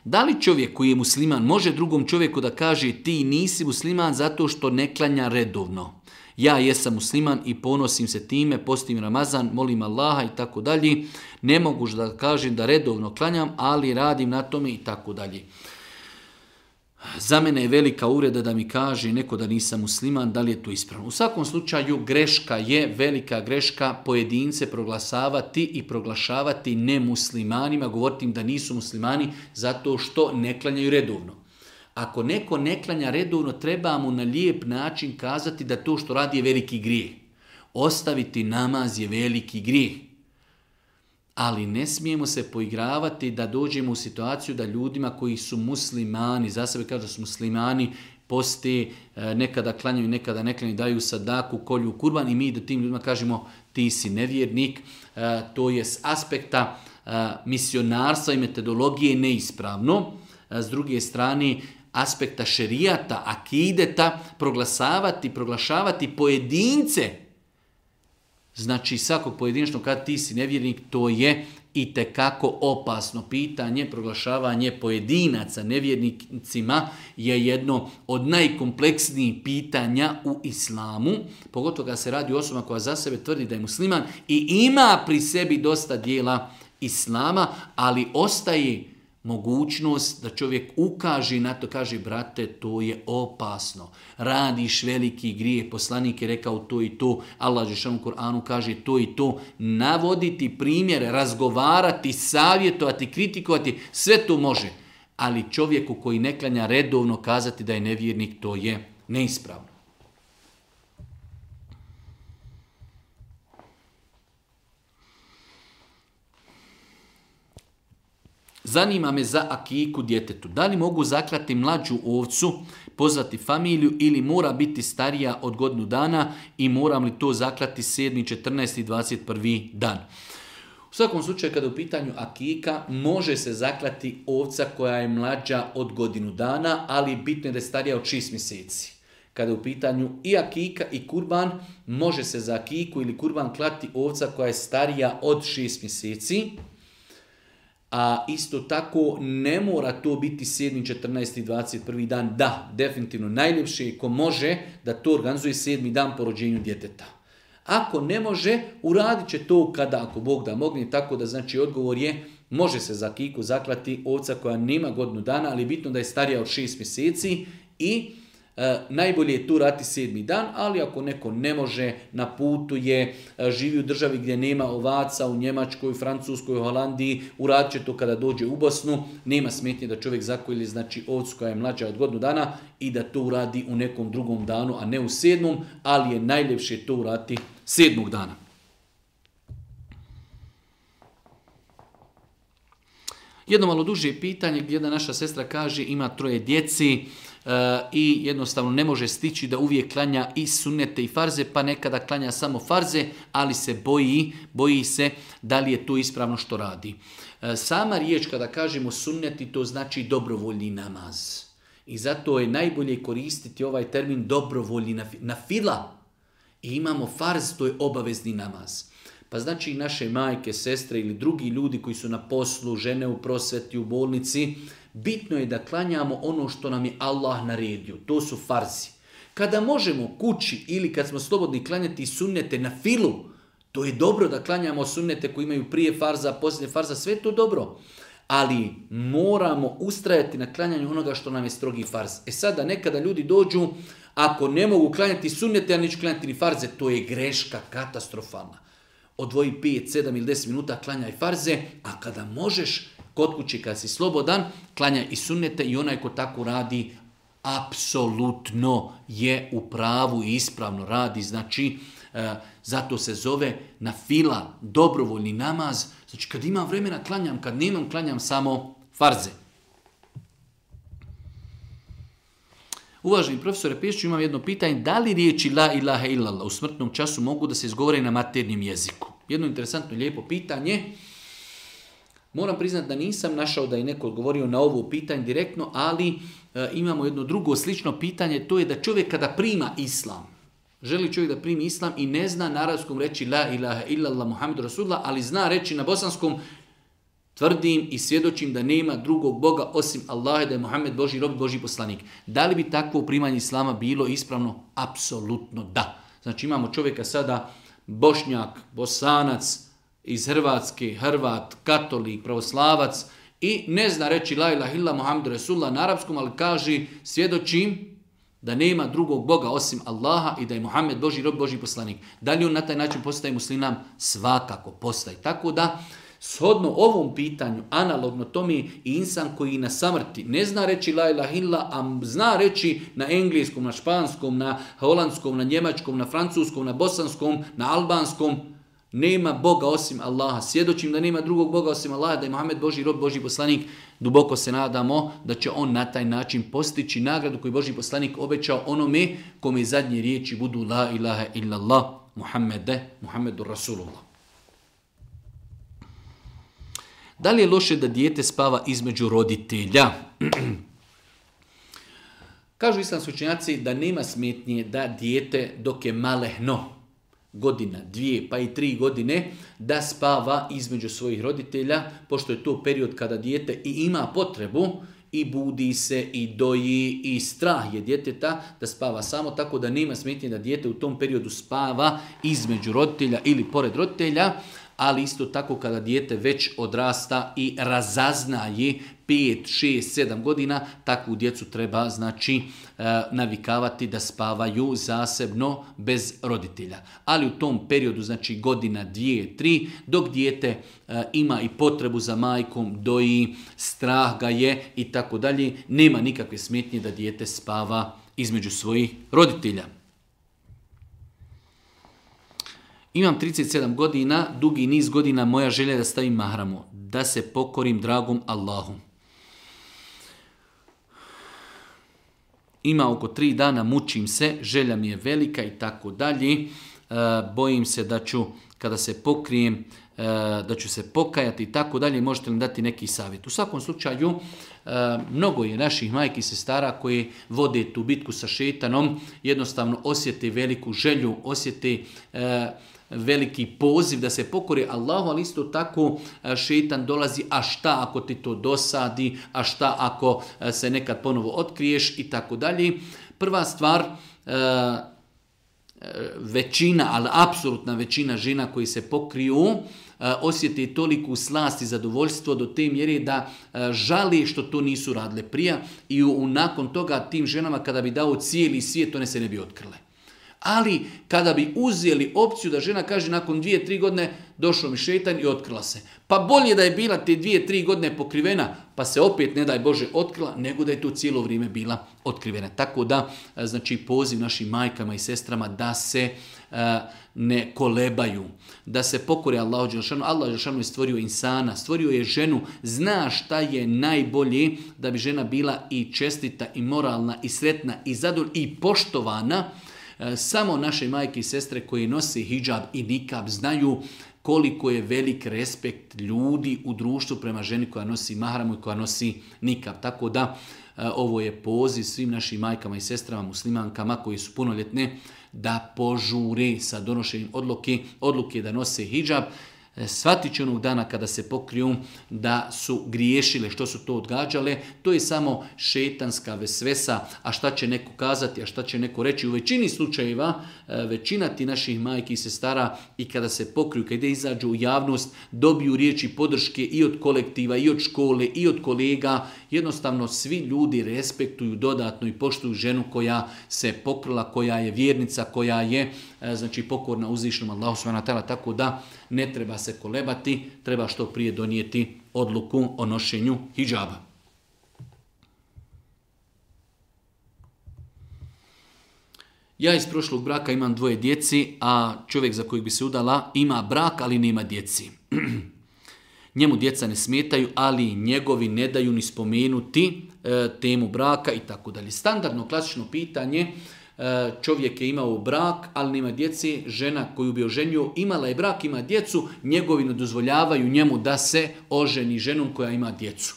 Da li čovjek koji je musliman može drugom čovjeku da kaže ti nisi musliman zato što ne klanja redovno? Ja jesam musliman i ponosim se time, postim Ramazan, molim Allaha i tako dalje. Ne mogu da kažem da redovno klanjam, ali radim na tome i tako dalje. Za mene je velika uvreda da mi kaže neko da nisam musliman, da li je to ispravno. U svakom slučaju greška je, velika greška, pojedince proglasavati i proglašavati nemuslimanima, govoriti im da nisu muslimani zato što ne klanjaju redovno. Ako neko ne klanja redovno, treba mu na lijep način kazati da to što radi je veliki grijeh. Ostaviti namaz je veliki grijeh. Ali ne smijemo se poigravati da dođemo u situaciju da ljudima koji su muslimani, za sebe kažu da su muslimani, poste, nekada klanjaju, nekada ne klanjaju, daju sadaku, kolju kurban i mi da tim ljudima kažemo ti si nevjernik. To je s aspekta misionarstva i metodologije neispravno. S druge strane, aspekta šerijata, akideta, proglasavati, proglašavati pojedince. Znači svakog pojedinačno kad ti si nevjernik, to je itekako opasno pitanje. Proglašavanje pojedinaca nevjernicima je jedno od najkompleksnijih pitanja u islamu. Pogotovo kada se radi o osobama koja za sebe tvrdi da je musliman i ima pri sebi dosta dijela islama, ali ostaje mogućnost da čovjek ukaže na to, kaže brate, to je opasno. Radiš veliki grije, poslanik je rekao to i to, Allah dželle u Kur'anu kaže to i to. Navoditi primjere, razgovarati, savjetovati, kritikovati, sve to može. Ali čovjeku koji ne klanja redovno kazati da je nevjernik, to je neispravno. Zanima me za akiku djetetu. Da li mogu zaklati mlađu ovcu, pozvati familiju ili mora biti starija od godinu dana i moram li to zaklati sedmi, četrnaesti i dvadeset prvi dan? U svakom slučaju kada je u pitanju akika može se zaklati ovca koja je mlađa od godinu dana, ali bitno je da je starija od šest mjeseci. Kada je u pitanju i akika i kurban, može se za akiku ili kurban klati ovca koja je starija od šest mjeseci. A isto tako ne mora to biti sedmi, četrnaesti i dvadeset prvi dan. Da, definitivno najljepše je ko može da to organizuje sedmi dan po rođenju djeteta. Ako ne može, uradit će to kada, ako Bog da mogne, tako da znači odgovor je, može se za akiku zaklati ovca koja nema godinu dana, ali bitno da je starija od šest mjeseci i e, najbolje je tu raditi sedmi dan, ali ako neko ne može, na putu je, e, živi u državi gdje nema ovaca, u Njemačkoj, Francuskoj, Holandiji, uradit će to kada dođe u Bosnu, nema smetnje da čovjek zakolje znači ovcu koja je mlađa od godinu dana i da to uradi u nekom drugom danu, a ne u sedmom, ali je najljepše to uraditi sedmog dana. Jedno malo duže pitanje gdje jedna naša sestra kaže ima troje djeci uh, i jednostavno ne može stići da uvijek klanja i sunnete i farze, pa nekada klanja samo farze, ali se boji, boji se da li je to ispravno što radi. Uh, sama riječ kada kažemo sunneti, to znači dobrovoljni namaz. I zato je najbolje koristiti ovaj termin dobrovoljni na fila. I imamo farz, to je obavezni namaz. Pa znači i naše majke, sestre ili drugi ljudi koji su na poslu, žene u prosveti, u bolnici, bitno je da klanjamo ono što nam je Allah naredio. To su farzi. Kada možemo kući ili kad smo slobodni klanjati sunnete na filu, to je dobro da klanjamo sunnete koji imaju prije farza, poslije farza, sve to dobro. Ali moramo ustrajati na klanjanju onoga što nam je strogi farz. E sada nekada ljudi dođu, ako ne mogu klanjati sunnete, a neću klanjati ni farze, to je greška katastrofalna. Odvoji pet, sedam ili deset minuta, klanjaj farze, a kada možeš, kod kuće kad si slobodan, klanjaj i sunnete i onaj ko tako radi, apsolutno je u pravu i ispravno radi. Znači, e, zato se zove na fila, dobrovoljni namaz. Znači, kad imam vremena, klanjam, kad nemam, klanjam samo farze. Uvaženi profesore Pešiću, imam jedno pitanje. Da li riječi la ilaha illallah u smrtnom času mogu da se izgovore na maternjem jeziku? Jedno interesantno, lijepo pitanje. Moram priznati da nisam našao da je neko odgovorio na ovo pitanje direktno, ali e, imamo jedno drugo slično pitanje. To je da čovjek kada prima islam, želi čovjek da primi islam i ne zna na arapskom reći la ilaha illallah Muhammedu Rasulullah, ali zna reći na bosanskom tvrdim i svjedočim da nema drugog Boga osim Allaha, da je Muhammed Božji rob, Božji poslanik. Da li bi takvo primanje islama bilo ispravno? Apsolutno da. Znači imamo čovjeka sada Bošnjak, Bosanac, iz Hrvatske, Hrvat, katolik, pravoslavac i ne zna reći la ilaha illallah Muhammedu Rasulullah na arapskom, ali kaže svjedočim da nema drugog Boga osim Allaha i da je Muhammed Božji rob, Božji poslanik. Da li on na taj način postaje musliman? Svakako postaje. Tako da shodno ovom pitanju, analogno tome i insan koji na samrti ne zna reći la ilaha illallah, a zna reći na engleskom, na španskom, na holandskom, na njemačkom, na francuskom, na bosanskom, na albanskom, nema Boga osim Allaha. Svjedočim da nema drugog Boga osim Allaha, da je Muhammed Božji rob, Božji poslanik. Duboko se nadamo da će on na taj način postići nagradu koju Božji poslanik obećao onome kome zadnje riječi budu la ilaha illallah Muhammede, Muhammedu Rasulullah. Da li je loše da dijete spava između roditelja? Kažu islamski učenjaci da nema smetnje da dijete dok je malehno, godina, dvije pa i tri godine, da spava između svojih roditelja, pošto je to period kada dijete i ima potrebu i budi se i doji i strah je djeteta da spava samo, tako da nema smetnje da dijete u tom periodu spava između roditelja ili pored roditelja, ali isto tako kada dijete već odrasta i razaznaje pet, šest, sedam godina, takvu djecu treba znači navikavati da spavaju zasebno bez roditelja. Ali u tom periodu, znači godina, dvije, tri, dok dijete ima i potrebu za majkom, doji, strah ga je i tako dalje, nema nikakve smetnje da dijete spava između svojih roditelja. Imam trideset sedam godina, dugi niz godina moja želja je da stavim mahramu, da se pokorim dragom Allahu. Ima oko tri dana, mučim se, želja mi je velika i tako dalje. Bojim se da ću, kada se pokrijem, da ću se pokajati i tako dalje. Možete li dati neki savjet? U svakom slučaju, mnogo je naših majki i sestara koji vode tu bitku sa šetanom, jednostavno osjete veliku želju, osjete veliki poziv da se pokori Allahu, ali isto tako šetan dolazi, a šta ako ti to dosadi, a šta ako se nekad ponovo otkriješ i tako dalje. Prva stvar, većina, ali apsolutna većina žena koji se pokriju, osjeti toliku slast i zadovoljstvo do te mjere da žali što to nisu radile prije i u, nakon toga tim ženama kada bi dao cijeli svijet, one se ne bi otkrile. Ali kada bi uzeli opciju da žena kaže nakon dvije, tri godine došao mi šetan i otkrila se. Pa bolje da je bila te dvije, tri godine pokrivena pa se opet ne daj Bože otkrila nego da je to cijelo vrijeme bila otkrivena. Tako da znači poziv našim majkama i sestrama da se uh, ne kolebaju, da se pokore Allahu dželešanu. Allah dželešanu je stvorio insana, stvorio je ženu, zna šta je najbolje da bi žena bila i čestita i moralna i sretna i zadovoljna i poštovana. Samo naše majke i sestre koji nose hidžab i nikab znaju koliko je velik respekt ljudi u društvu prema ženi koja nosi mahramu i koja nosi nikab. Tako da ovo je poziv svim našim majkama i sestrama, muslimankama koji su punoljetne da požure sa donošenjem odluke, odluke da nose hidžab. Shvatit će onog dana kada se pokriju da su griješile, što su to odgađale. To je samo šetanska vesvesa, a šta će neko kazati, a šta će neko reći. U većini slučajeva, većina ti naših majki i sestara i kada se pokriju, kada izađu u javnost, dobiju riječi podrške i od kolektiva, i od škole, i od kolega. Jednostavno svi ljudi respektuju dodatno i poštuju ženu koja se pokrila, koja je vjernica, koja je znači pokorna uzvišenom Allahu subhanahu wa ta'ala, tako da ne treba se kolebati, treba što prije donijeti odluku o nošenju hidžaba. Ja iz prošlog braka imam dvoje djeci, a čovjek za kojeg bi se udala ima brak, ali nema djeci. Njemu djeca ne smetaju, ali njegovi ne daju ni spomenuti e, temu braka i tako dalje. Standardno klasično pitanje, e, čovjek je imao brak, ali nema djeci, žena koju bi oženio imala je brak, ima djecu, njegovi ne dozvoljavaju njemu da se oženi ženom koja ima djecu.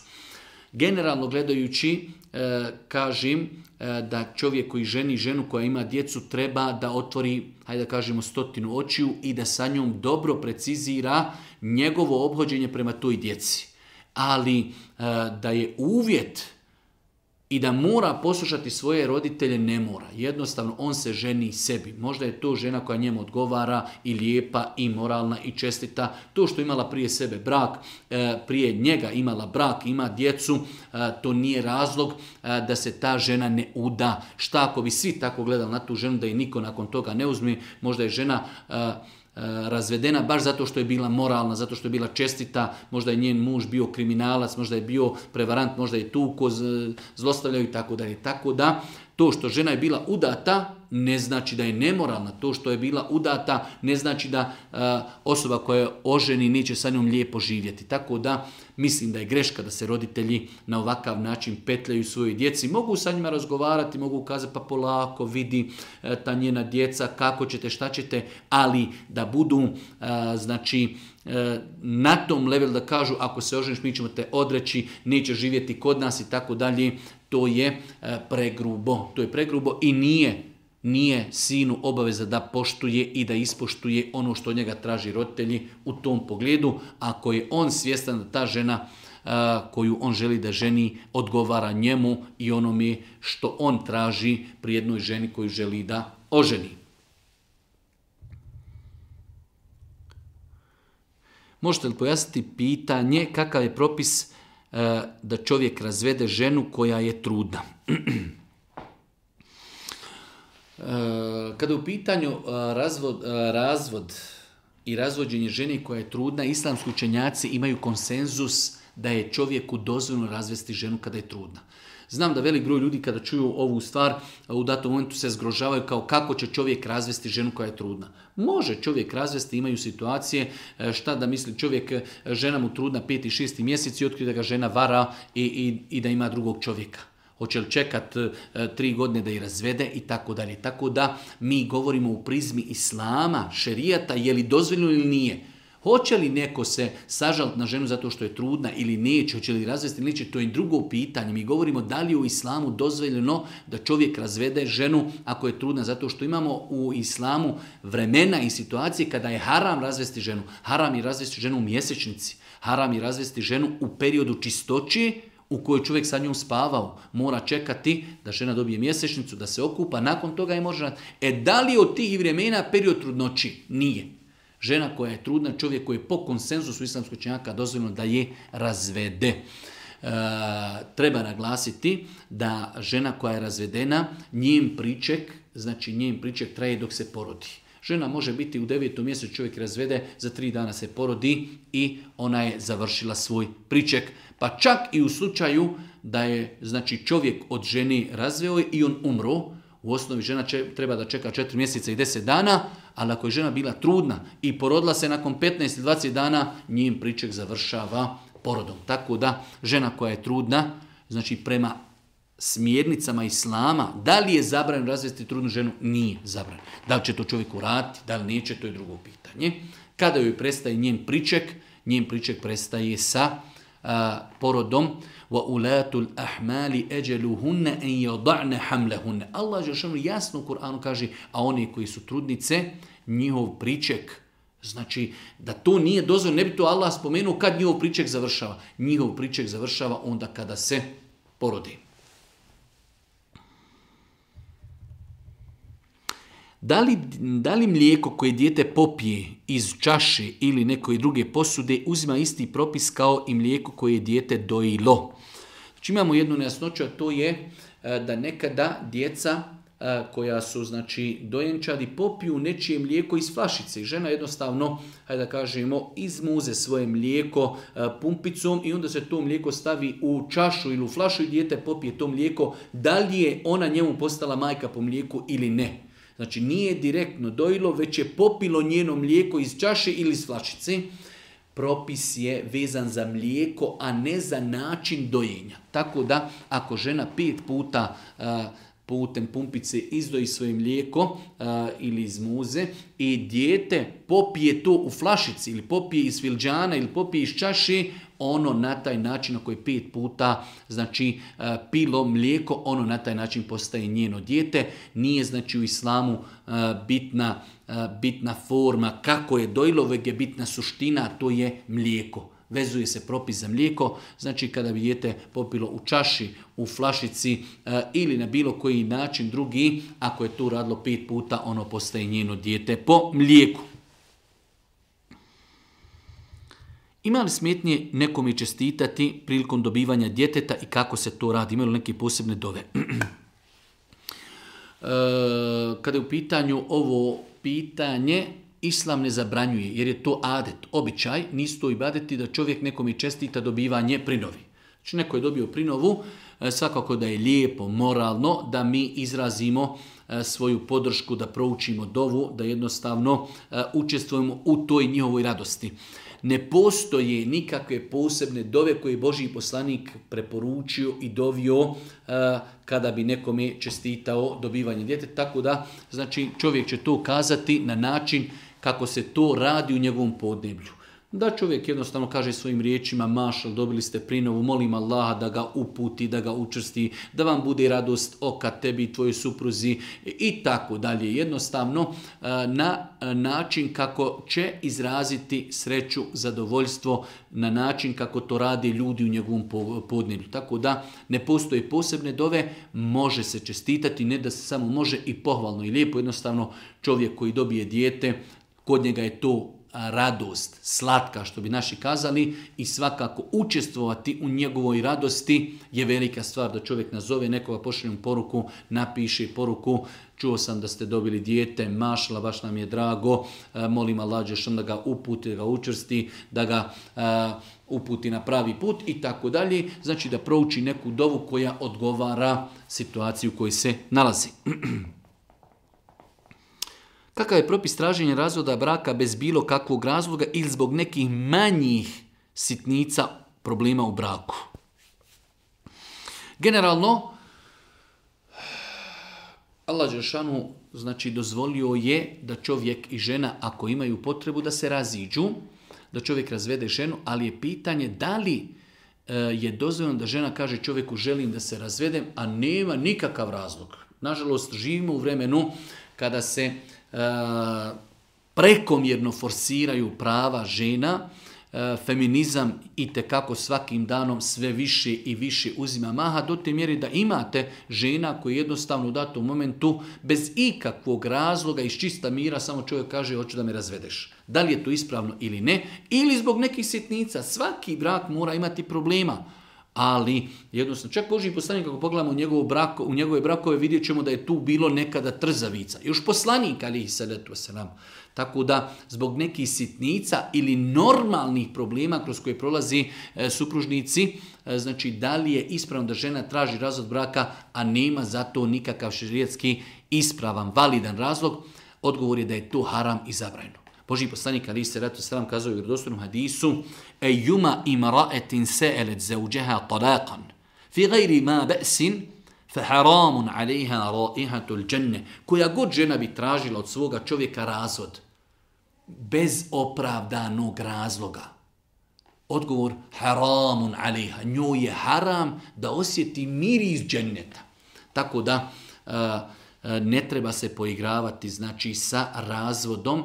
Generalno gledajući, e, kažem e, da čovjek koji ženi ženu koja ima djecu treba da otvori, hajde da kažemo, stotinu očiju i da sa njom dobro precizira njegovo obhođenje prema toj djeci. Ali e, da je uvjet i da mora poslušati svoje roditelje, ne mora. Jednostavno, on se ženi sebi. Možda je to žena koja njemu odgovara i lijepa i moralna i čestita. To što imala prije sebe brak, prije njega imala brak, ima djecu, to nije razlog da se ta žena ne uda. Šta ako bi svi tako gledali na tu ženu da i niko nakon toga ne uzme? Možda je žena razvedena baš zato što je bila moralna, zato što je bila čestita, možda je njen muž bio kriminalac, možda je bio prevarant, možda je tuko, zlostavljaju i tako dalje. Tako da to što žena je bila udata ne znači da je nemoralna, to što je bila udata ne znači da uh, osoba koja je oženi neće sa njom lijepo živjeti. Tako da mislim da je greška da se roditelji na ovakav način petljaju svojoj djeci. Mogu sa njima razgovarati, mogu kazati pa polako vidi uh, ta njena djeca, kako ćete, šta ćete, ali da budu uh, znači uh, na tom levelu da kažu ako se oženiš mi ćemo te odreći, neće živjeti kod nas i tako dalje. To je uh, pregrubo. To je pregrubo i nije Nije sinu obaveza da poštuje i da ispoštuje ono što od njega traži roditelji u tom pogledu, ako je on svjestan da ta žena a, koju on želi da ženi odgovara njemu i onome što on traži pri jednoj ženi koju želi da oženi. Možete li pojasniti pitanje kakav je propis da čovjek razvede ženu koja je trudna. Kada je u pitanju razvod, razvod i razvođenje žene koja je trudna, islamski učenjaci imaju konsenzus da je čovjeku dozvoljeno razvesti ženu kada je trudna. Znam da velik broj ljudi kada čuju ovu stvar u datom momentu se zgrožavaju kao kako će čovjek razvesti ženu koja je trudna. Može čovjek razvesti, imaju situacije šta da misli čovjek, žena mu trudna peti, šesti mjesec i otkrije da ga žena vara i, i, i da ima drugog čovjeka. Hoće li čekat e, tri godine da ih razvede i tako dalje. Tako da mi govorimo u prizmi islama, šerijata, je li dozvoljeno ili nije. Hoće li neko se sažaliti na ženu zato što je trudna ili neće, hoće li razvesti ili neće, to je drugo pitanje. Mi govorimo da li je u islamu dozvoljeno da čovjek razvede ženu ako je trudna, zato što imamo u islamu vremena i situacije kada je haram razvesti ženu. Haram je razvesti ženu u mjesečnici, haram je razvesti ženu u periodu čistoći u kojoj čovjek sa njom spavao. Mora čekati da žena dobije mjesečnicu, da se okupa, nakon toga je može... E da li je od tih vremena period trudnoći? Nije. Žena koja je trudna, čovjek koji je po konsenzusu islamskog učenjaka dozvoljeno da je razvede. E, treba naglasiti da žena koja je razvedena, njen priček, znači njen priček traje dok se porodi. Žena može biti u devetom mjesecu, čovjek razvede, za tri dana se porodi i ona je završila svoj priček. Pa čak i u slučaju da je znači čovjek od žene razveo i on umro, u osnovi žena će, treba da čeka četiri mjeseca i deset dana, ali ako je žena bila trudna i porodila se nakon petnaest ili dvadeset dana, njen priček završava porodom. Tako da žena koja je trudna, znači prema smjernicama islama, da li je zabranjeno razvesti trudnu ženu? Nije zabranjeno. Da li će to čovjek uraditi, da li neće, to je drugo pitanje. Kada joj prestaje njen priček, njen priček prestaje sa a, porodom. وَأُولَاتُ الْأَحْمَالِ أَجَلُهُنَّ أَنْ يَضَعْنَ حَمْلَهُنَّ Allah jasno u Kur'anu kaže, a oni koji su trudnice, njihov priček, znači da to nije dozvoljeno, ne bi to Allah spomenuo kad njihov priček završava. Njihov priček završava onda kada se porodi. Da li, da li mlijeko koje dijete popije iz čaše ili neke druge posude uzima isti propis kao i mlijeko koje je dijete dojilo? Znači imamo jednu nejasnoću, a to je da nekada djeca koja su znači dojenčadi popiju nečije mlijeko iz flašice. Žena jednostavno, hajde da kažemo, izmuze svoje mlijeko pumpicom i onda se to mlijeko stavi u čašu ili u flašu i dijete popije to mlijeko. Da li je ona njemu postala majka po mlijeku ili ne? Znači nije direktno dojilo, već je popilo njeno mlijeko iz čaše ili iz flašice. Propis je vezan za mlijeko, a ne za način dojenja. Tako da ako žena pet puta uh, putem pumpice izdoji svoje mlijeko uh, ili iz muze i dijete popije to u flašici ili popije iz filđana ili popije iz čaše, ono na taj način na koji pet puta znači uh, pilo mlijeko, ono na taj način postaje njeno dijete. Nije znači u islamu uh, bitna, uh, bitna forma kako je dojilo, već je bitna suština, to je mlijeko. Vezuje se propis za mlijeko, znači kada bi dijete popilo u čaši, u flašici e, ili na bilo koji način drugi, ako je to radilo pet puta, ono postaje njeno dijete po mlijeku. Ima li smetnje nekom je čestitati prilikom dobivanja djeteta i kako se to radi? Imaju li neke posebne dove? e, kada je u pitanju ovo pitanje, Islam ne zabranjuje, jer je to adet, običaj, nisu to ibadeti da čovjek nekom je čestita dobivanje prinovi. Znači neko je dobio prinovu, svakako da je lijepo, moralno, da mi izrazimo svoju podršku, da proučimo dovu, da jednostavno učestvujemo u toj njihovoj radosti. Ne postoje nikakve posebne dove koje je Božji poslanik preporučio i dovio kada bi nekome čestitao dobivanje djeteta. Tako da znači, čovjek će to kazati na način kako se to radi u njegovom podneblju. Da čovjek jednostavno kaže svojim riječima, mašal, dobili ste prinovu, molim Allaha da ga uputi, da ga učvrsti, da vam bude radost oka tebi i tvojoj supruzi i tako dalje. Jednostavno na način kako će izraziti sreću, zadovoljstvo, na način kako to radi ljudi u njegovom podneblju. Tako da ne postoje posebne dove, može se čestitati, ne da se samo može i pohvalno i lijepo. Jednostavno čovjek koji dobije dijete, kod njega je to radost, slatka što bi naši kazali, i svakako učestvovati u njegovoj radosti je velika stvar, da čovjek nazove nekoga, pošalje mu poruku, napiše poruku, čuo sam da ste dobili dijete, mašla, baš nam je drago, molim Allah dželešanu da ga uputi, da ga učvrsti, da ga uh, uputi na pravi put i tako dalje. Znači da prouči neku dovu koja odgovara situaciju u kojoj se nalazi. Kakav je propis traženja razvoda braka bez bilo kakvog razloga ili zbog nekih manjih sitnica problema u braku? Generalno, Allah dželešanu znači dozvolio je da čovjek i žena, ako imaju potrebu, da se raziđu, da čovjek razvede ženu, ali je pitanje da li e, je dozvoljeno da žena kaže čovjeku želim da se razvedem, a nema nikakav razlog. Nažalost, živimo u vremenu kada se e, prekomjerno forsiraju prava žena, e, feminizam itekako svakim danom sve više i više uzima maha, do te mjere da imate žena koji jednostavno u datom momentu bez ikakvog razloga iz čista mira samo čovjek kaže hoću da me razvedeš. Da li je to ispravno ili ne, ili zbog nekih sitnica. Svaki brak mora imati problema. Ali, jednostavno, čak Božji poslanik, kako pogledamo u, njegov brako, u njegove brakove, vidjet ćemo da je tu bilo nekada trzavica. Još poslanik, alihi salatu wasalam. Tako da, zbog nekih sitnica ili normalnih problema kroz koje prolazi e, supružnici, e, znači, da li je ispravno da žena traži razvod braka, a nema za to nikakav šerijatski ispravan, validan razlog, odgovor je da je to haram i zabranjeno. Božji poslanik alihi salatu wasalam kazao u vjerodostojnom hadisu: "Ejuma imra'atin sa'alat zawjaha talaqan fi ghayri ma ba'sin fa haramun 'alayha ra'ihatul dženne." Koja god žena bi tražila od svoga čovjeka razvod bez opravdanog razloga, odgovor haramun 'alayha, njoj je haram da osjeti miris dženneta. Tako da uh, ne treba se poigravati znači sa razvodom.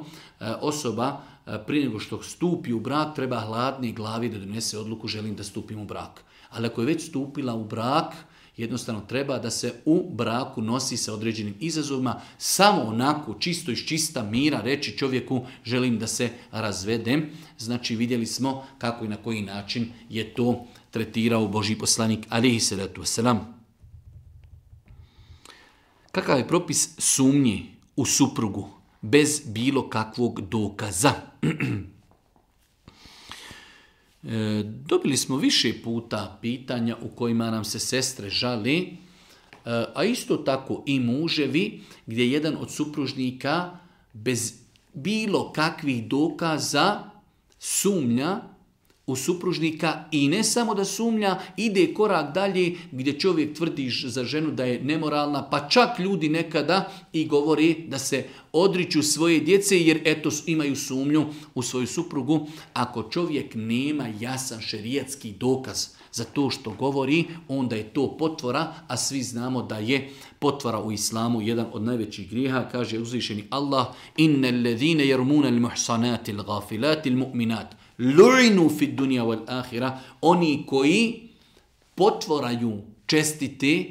Osoba prije nego što stupi u brak treba hladne glavi da donese odluku želim da stupim u brak. Ali ako je već stupila u brak, jednostavno treba da se u braku nosi sa određenim izazovima, samo onako čisto iz čista mira reći čovjeku želim da se razvedem. Znači vidjeli smo kako i na koji način je to tretirao Božji poslanik alihi salatu wasalam. Kakav je propis sumnje u suprugu bez bilo kakvog dokaza? e, dobili smo više puta pitanja u kojima nam se sestre žale, e, a isto tako i muževi, gdje jedan od supružnika bez bilo kakvih dokaza sumnja u supružnika i ne samo da sumnja, ide korak dalje gdje čovjek tvrdi za ženu da je nemoralna, pa čak ljudi nekada i govori da se odriču svoje djece jer eto imaju sumnju u svoju suprugu. Ako čovjek nema jasan šerijatski dokaz za to što govori, onda je to potvora, a svi znamo da je potvora u islamu jedan od najvećih grijeha. Kaže uzvišeni Allah: "Innal ladhina yarmuna al-muhsanati al-ghafilati al-mu'minat lu'inu fid dunya wal akhirah." Oni koji potvoraju čestite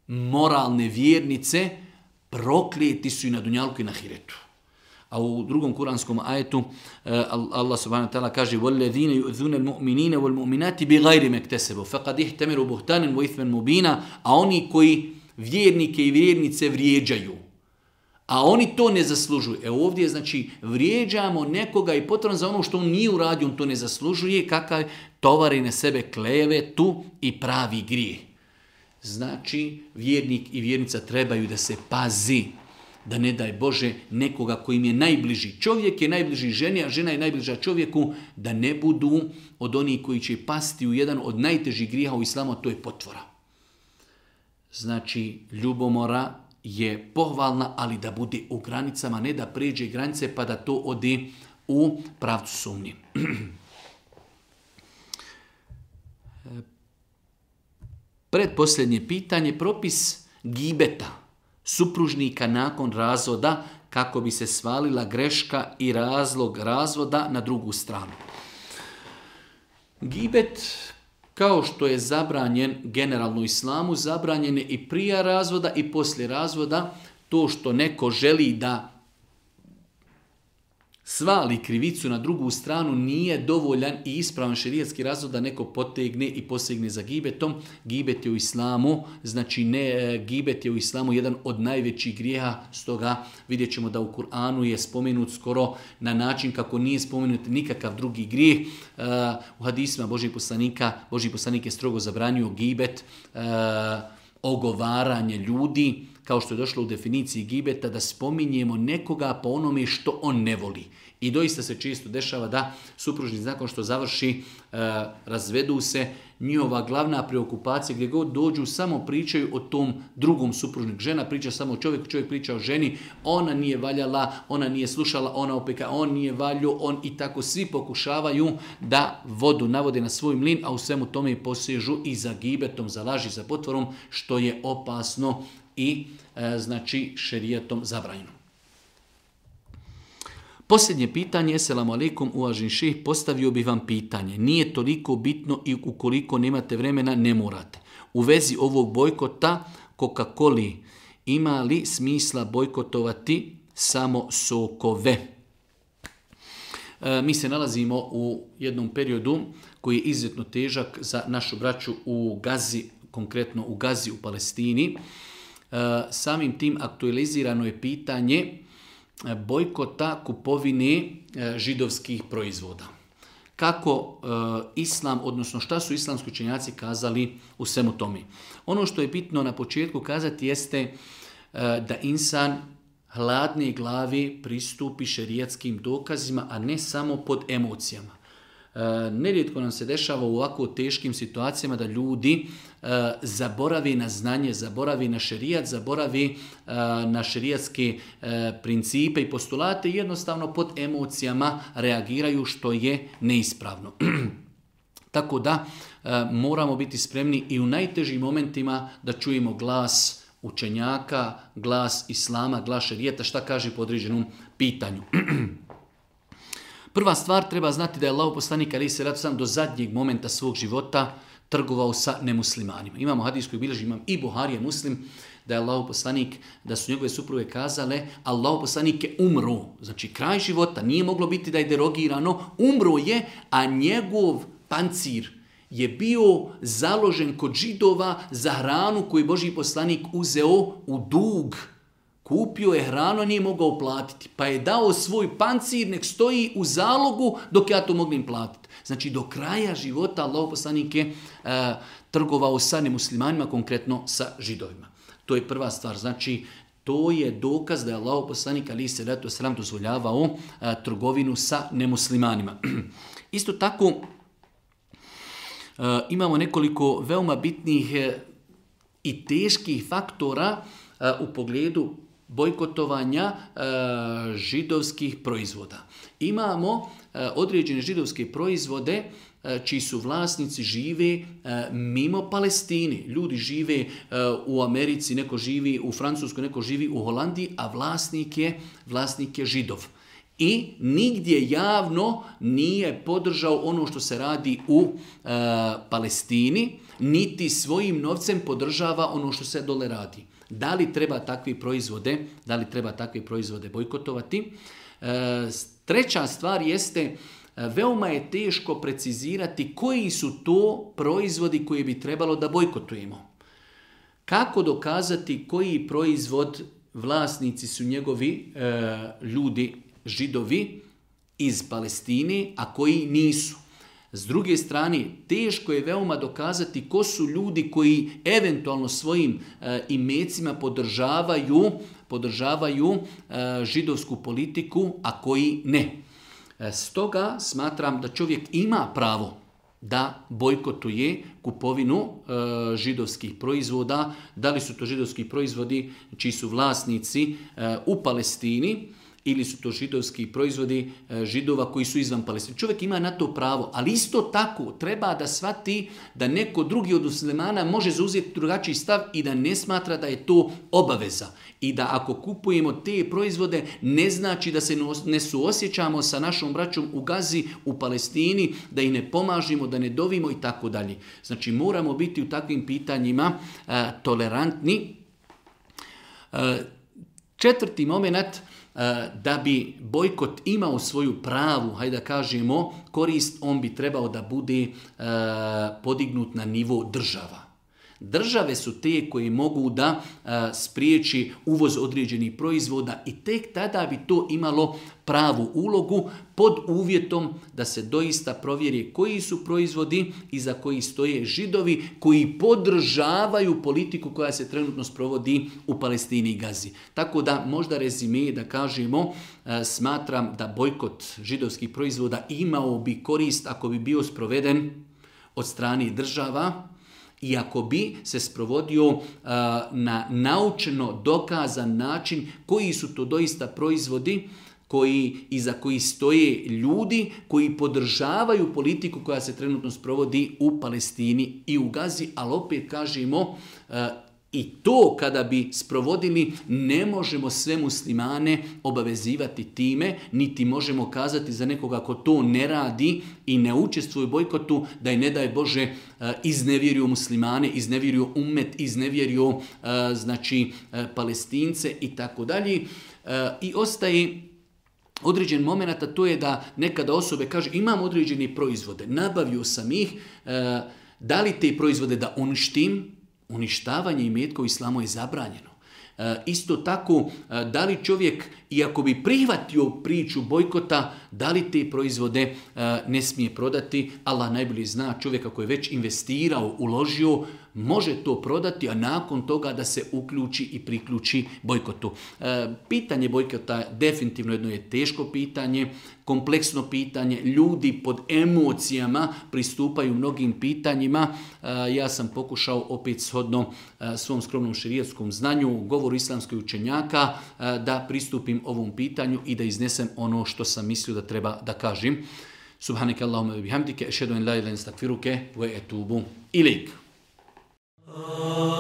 moralne vjernice proklijeti su i na dunjalku i na ahiretu. A u drugom kuranskom ajetu Allah subhanahu wa ta'ala kaže: "Walladhina yu'dhuna al-mu'minina wal-mu'minati bighayri maktasabu faqad ihtamalu buhtanan wa ithman mubina." A oni koji vjernike i vjernice vrijeđaju, a oni to ne zaslužuju. E ovdje znači vrijeđamo nekoga i potrebno za ono što on nije uradio, on to ne zaslužuje, kakav tovari na sebe klevetu i pravi grijeh. Znači vjernik i vjernica trebaju da se pazi, da ne daj Bože nekoga koji im je najbliži. Čovjek je najbliži ženi, a žena je najbliža čovjeku, da ne budu od onih koji će pasti u jedan od najtežih grijeha u islamu, a to je potvora. Znači ljubomora je pohvalna, ali da bude u granicama, ne da pređe granice pa da to ode u pravcu sumnje. Predposljednje pitanje, propis gibeta supružnika nakon razvoda kako bi se svalila greška i razlog razvoda na drugu stranu. Gibet, kao što je zabranjen generalno u islamu, zabranjen je i prije razvoda i poslije razvoda. To što neko želi da svali krivicu na drugu stranu, nije dovoljan i ispravan šerijatski razlog da neko potegne i posegne za gibetom. Gibet je u islamu, znači ne, gibet je u islamu jedan od najvećih grijeha, stoga vidjet ćemo da u Kur'anu je spomenut skoro na način kako nije spomenut nikakav drugi grijeh. Uh, u hadisima Božih poslanika, Božji poslanik je strogo zabranio gibet, uh, ogovaranje ljudi, kao što je došlo u definiciji gibeta, da spominjemo nekoga po onome što on ne voli. I doista se često dešava da supružnici nakon što završi, e, razvedu se, njihova glavna preokupacija gdje god dođu samo pričaju o tom drugom supružniku. Žena priča samo o čovjeku, čovjek priča o ženi, ona nije valjala, ona nije slušala, ona opeka, on nije valjo, on i tako svi pokušavaju da vodu navode na svoj mlin, a u svemu tome posežu i za gibetom, za laži, za potvorom, što je opasno i e, znači šerijatom zabranjeno. Posljednje pitanje, eselamu alaikum, uvaženi šejh, postavio bih vam pitanje. Nije toliko bitno i ukoliko nemate vremena, ne morate. U vezi ovog bojkota Coca-Coli, ima li smisla bojkotovati samo sokove? E, mi se nalazimo u jednom periodu koji je izuzetno težak za našu braću u Gazi, konkretno u Gazi u Palestini. E, samim tim aktualizirano je pitanje bojkota kupovine židovskih proizvoda. Kako e, islam, odnosno šta su islamski učenjaci kazali u svemu tome? Ono što je bitno na početku kazati jeste e, da insan hladne glavi pristupi šerijatskim dokazima, a ne samo pod emocijama. E, nerijetko nam se dešava u ovako teškim situacijama da ljudi e, zaboravi na znanje, zaboravi na šerijat, zaboravi e, na šerijatske e, principe i postulate i jednostavno pod emocijama reagiraju, što je neispravno. Tako da e, moramo biti spremni i u najtežim momentima da čujemo glas učenjaka, glas islama, glas šerijata, šta kaže po određenom pitanju. Prva stvar, treba znati da je Allahov poslanik alejhi selatu selam do zadnjeg momenta svog života trgovao sa nemuslimanima. Imamo hadis koji bilježi imam i Buharija Muslim, da je Allahov poslanik, da su njegove supruge kazale, Allahov poslanik je umro, znači kraj života, nije moglo biti da je derogirano, umro je, a njegov pancir je bio založen kod Židova za hranu koju Božji poslanik uzeo u dug. Kupio je hranu, nije mogao platiti, pa je dao svoj pancir, nek stoji u zalogu dok ja to mognem platiti. Znači do kraja života Allahov poslanik je uh, trgovao sa nemuslimanima, konkretno sa Židovima. To je prva stvar, znači to je dokaz da je Allahov poslanik alejhi selatu vesselam dozvoljavao uh, trgovinu sa nemuslimanima. Isto tako uh, imamo nekoliko veoma bitnih uh, i teških faktora uh, u pogledu bojkotovanja e, židovskih proizvoda. Imamo e, određene židovske proizvode e, čiji su vlasnici žive e, mimo Palestine. Ljudi žive e, u Americi, neko živi u Francuskoj, neko živi u Holandiji, a vlasnik je, vlasnik je Židov. I nigdje javno nije podržao ono što se radi u e, Palestini, niti svojim novcem podržava ono što se dole radi. Da li treba takve proizvode, da li treba takve proizvode bojkotovati? E, treća stvar jeste, veoma je teško precizirati koji su to proizvodi koje bi trebalo da bojkotujemo. Kako dokazati koji proizvod vlasnici su njegovi e, ljudi, Židovi iz Palestine, a koji nisu? S druge strane, teško je veoma dokazati ko su ljudi koji eventualno svojim e, imecima podržavaju, podržavaju e, židovsku politiku, a koji ne. E, stoga smatram da čovjek ima pravo da bojkotuje kupovinu e, židovskih proizvoda. Da li su to židovski proizvodi čiji su vlasnici e, u Palestini, ili su to židovski proizvodi Židova koji su izvan Palestine. Čovjek ima na to pravo, ali isto tako treba da shvati da neko drugi od muslimana može zauzeti drugačiji stav i da ne smatra da je to obaveza. I da ako kupujemo te proizvode, ne znači da se ne suosjećamo sa našom braćom u Gazi, u Palestini, da ih ne pomažimo, da ne dovimo i tako dalje. Znači moramo biti u takvim pitanjima a, tolerantni. A, četvrti moment, da bi bojkot imao svoju pravu, hajde da kažemo, korist, on bi trebao da bude podignut na nivo država. Države su te koje mogu da a, spriječi uvoz određenih proizvoda i tek tada bi to imalo pravu ulogu pod uvjetom da se doista provjeri koji su proizvodi iza koji stoje Židovi koji podržavaju politiku koja se trenutno sprovodi u Palestini i Gazi. Tako da možda rezime da kažemo a, smatram da bojkot židovskih proizvoda imao bi korist ako bi bio sproveden od strane država, i ako bi se sprovodio uh, na naučeno dokazan način koji su to doista proizvodi koji, iza koji stoje ljudi koji podržavaju politiku koja se trenutno sprovodi u Palestini i u Gazi, ali opet kažemo uh, i to kada bi sprovodili ne možemo sve muslimane obavezivati time, niti možemo kazati za nekoga ko to ne radi i ne učestvuje u bojkotu da je ne daj Bože iznevjerio muslimane, iznevjerio ummet, iznevjerio znači Palestince i tako dalje. I ostaje određen moment, a to je da nekada osobe kaže imam određene proizvode, nabavio sam ih, da li te proizvode da uništim? Uništavanje imetka u islamu je zabranjeno. E, isto tako, e, da li čovjek, iako bi prihvatio priču bojkota, da li te proizvode e, ne smije prodati? Allah najbolje zna, čovjeka koji je već investirao, uložio, može to prodati, a nakon toga da se uključi i priključi bojkotu. E, pitanje bojkota definitivno jedno je teško pitanje, kompleksno pitanje, ljudi pod emocijama pristupaju mnogim pitanjima. E, ja sam pokušao opet shodno e, svom skromnom šerijatskom znanju, govoru islamskih učenjaka, e, da pristupim ovom pitanju i da iznesem ono što sam mislio da treba da kažem. Subhaneke Allahumma wa bihamdike, ešhedu en la ilaha illa ente, estagfiruke wa etubu ilejk. Oh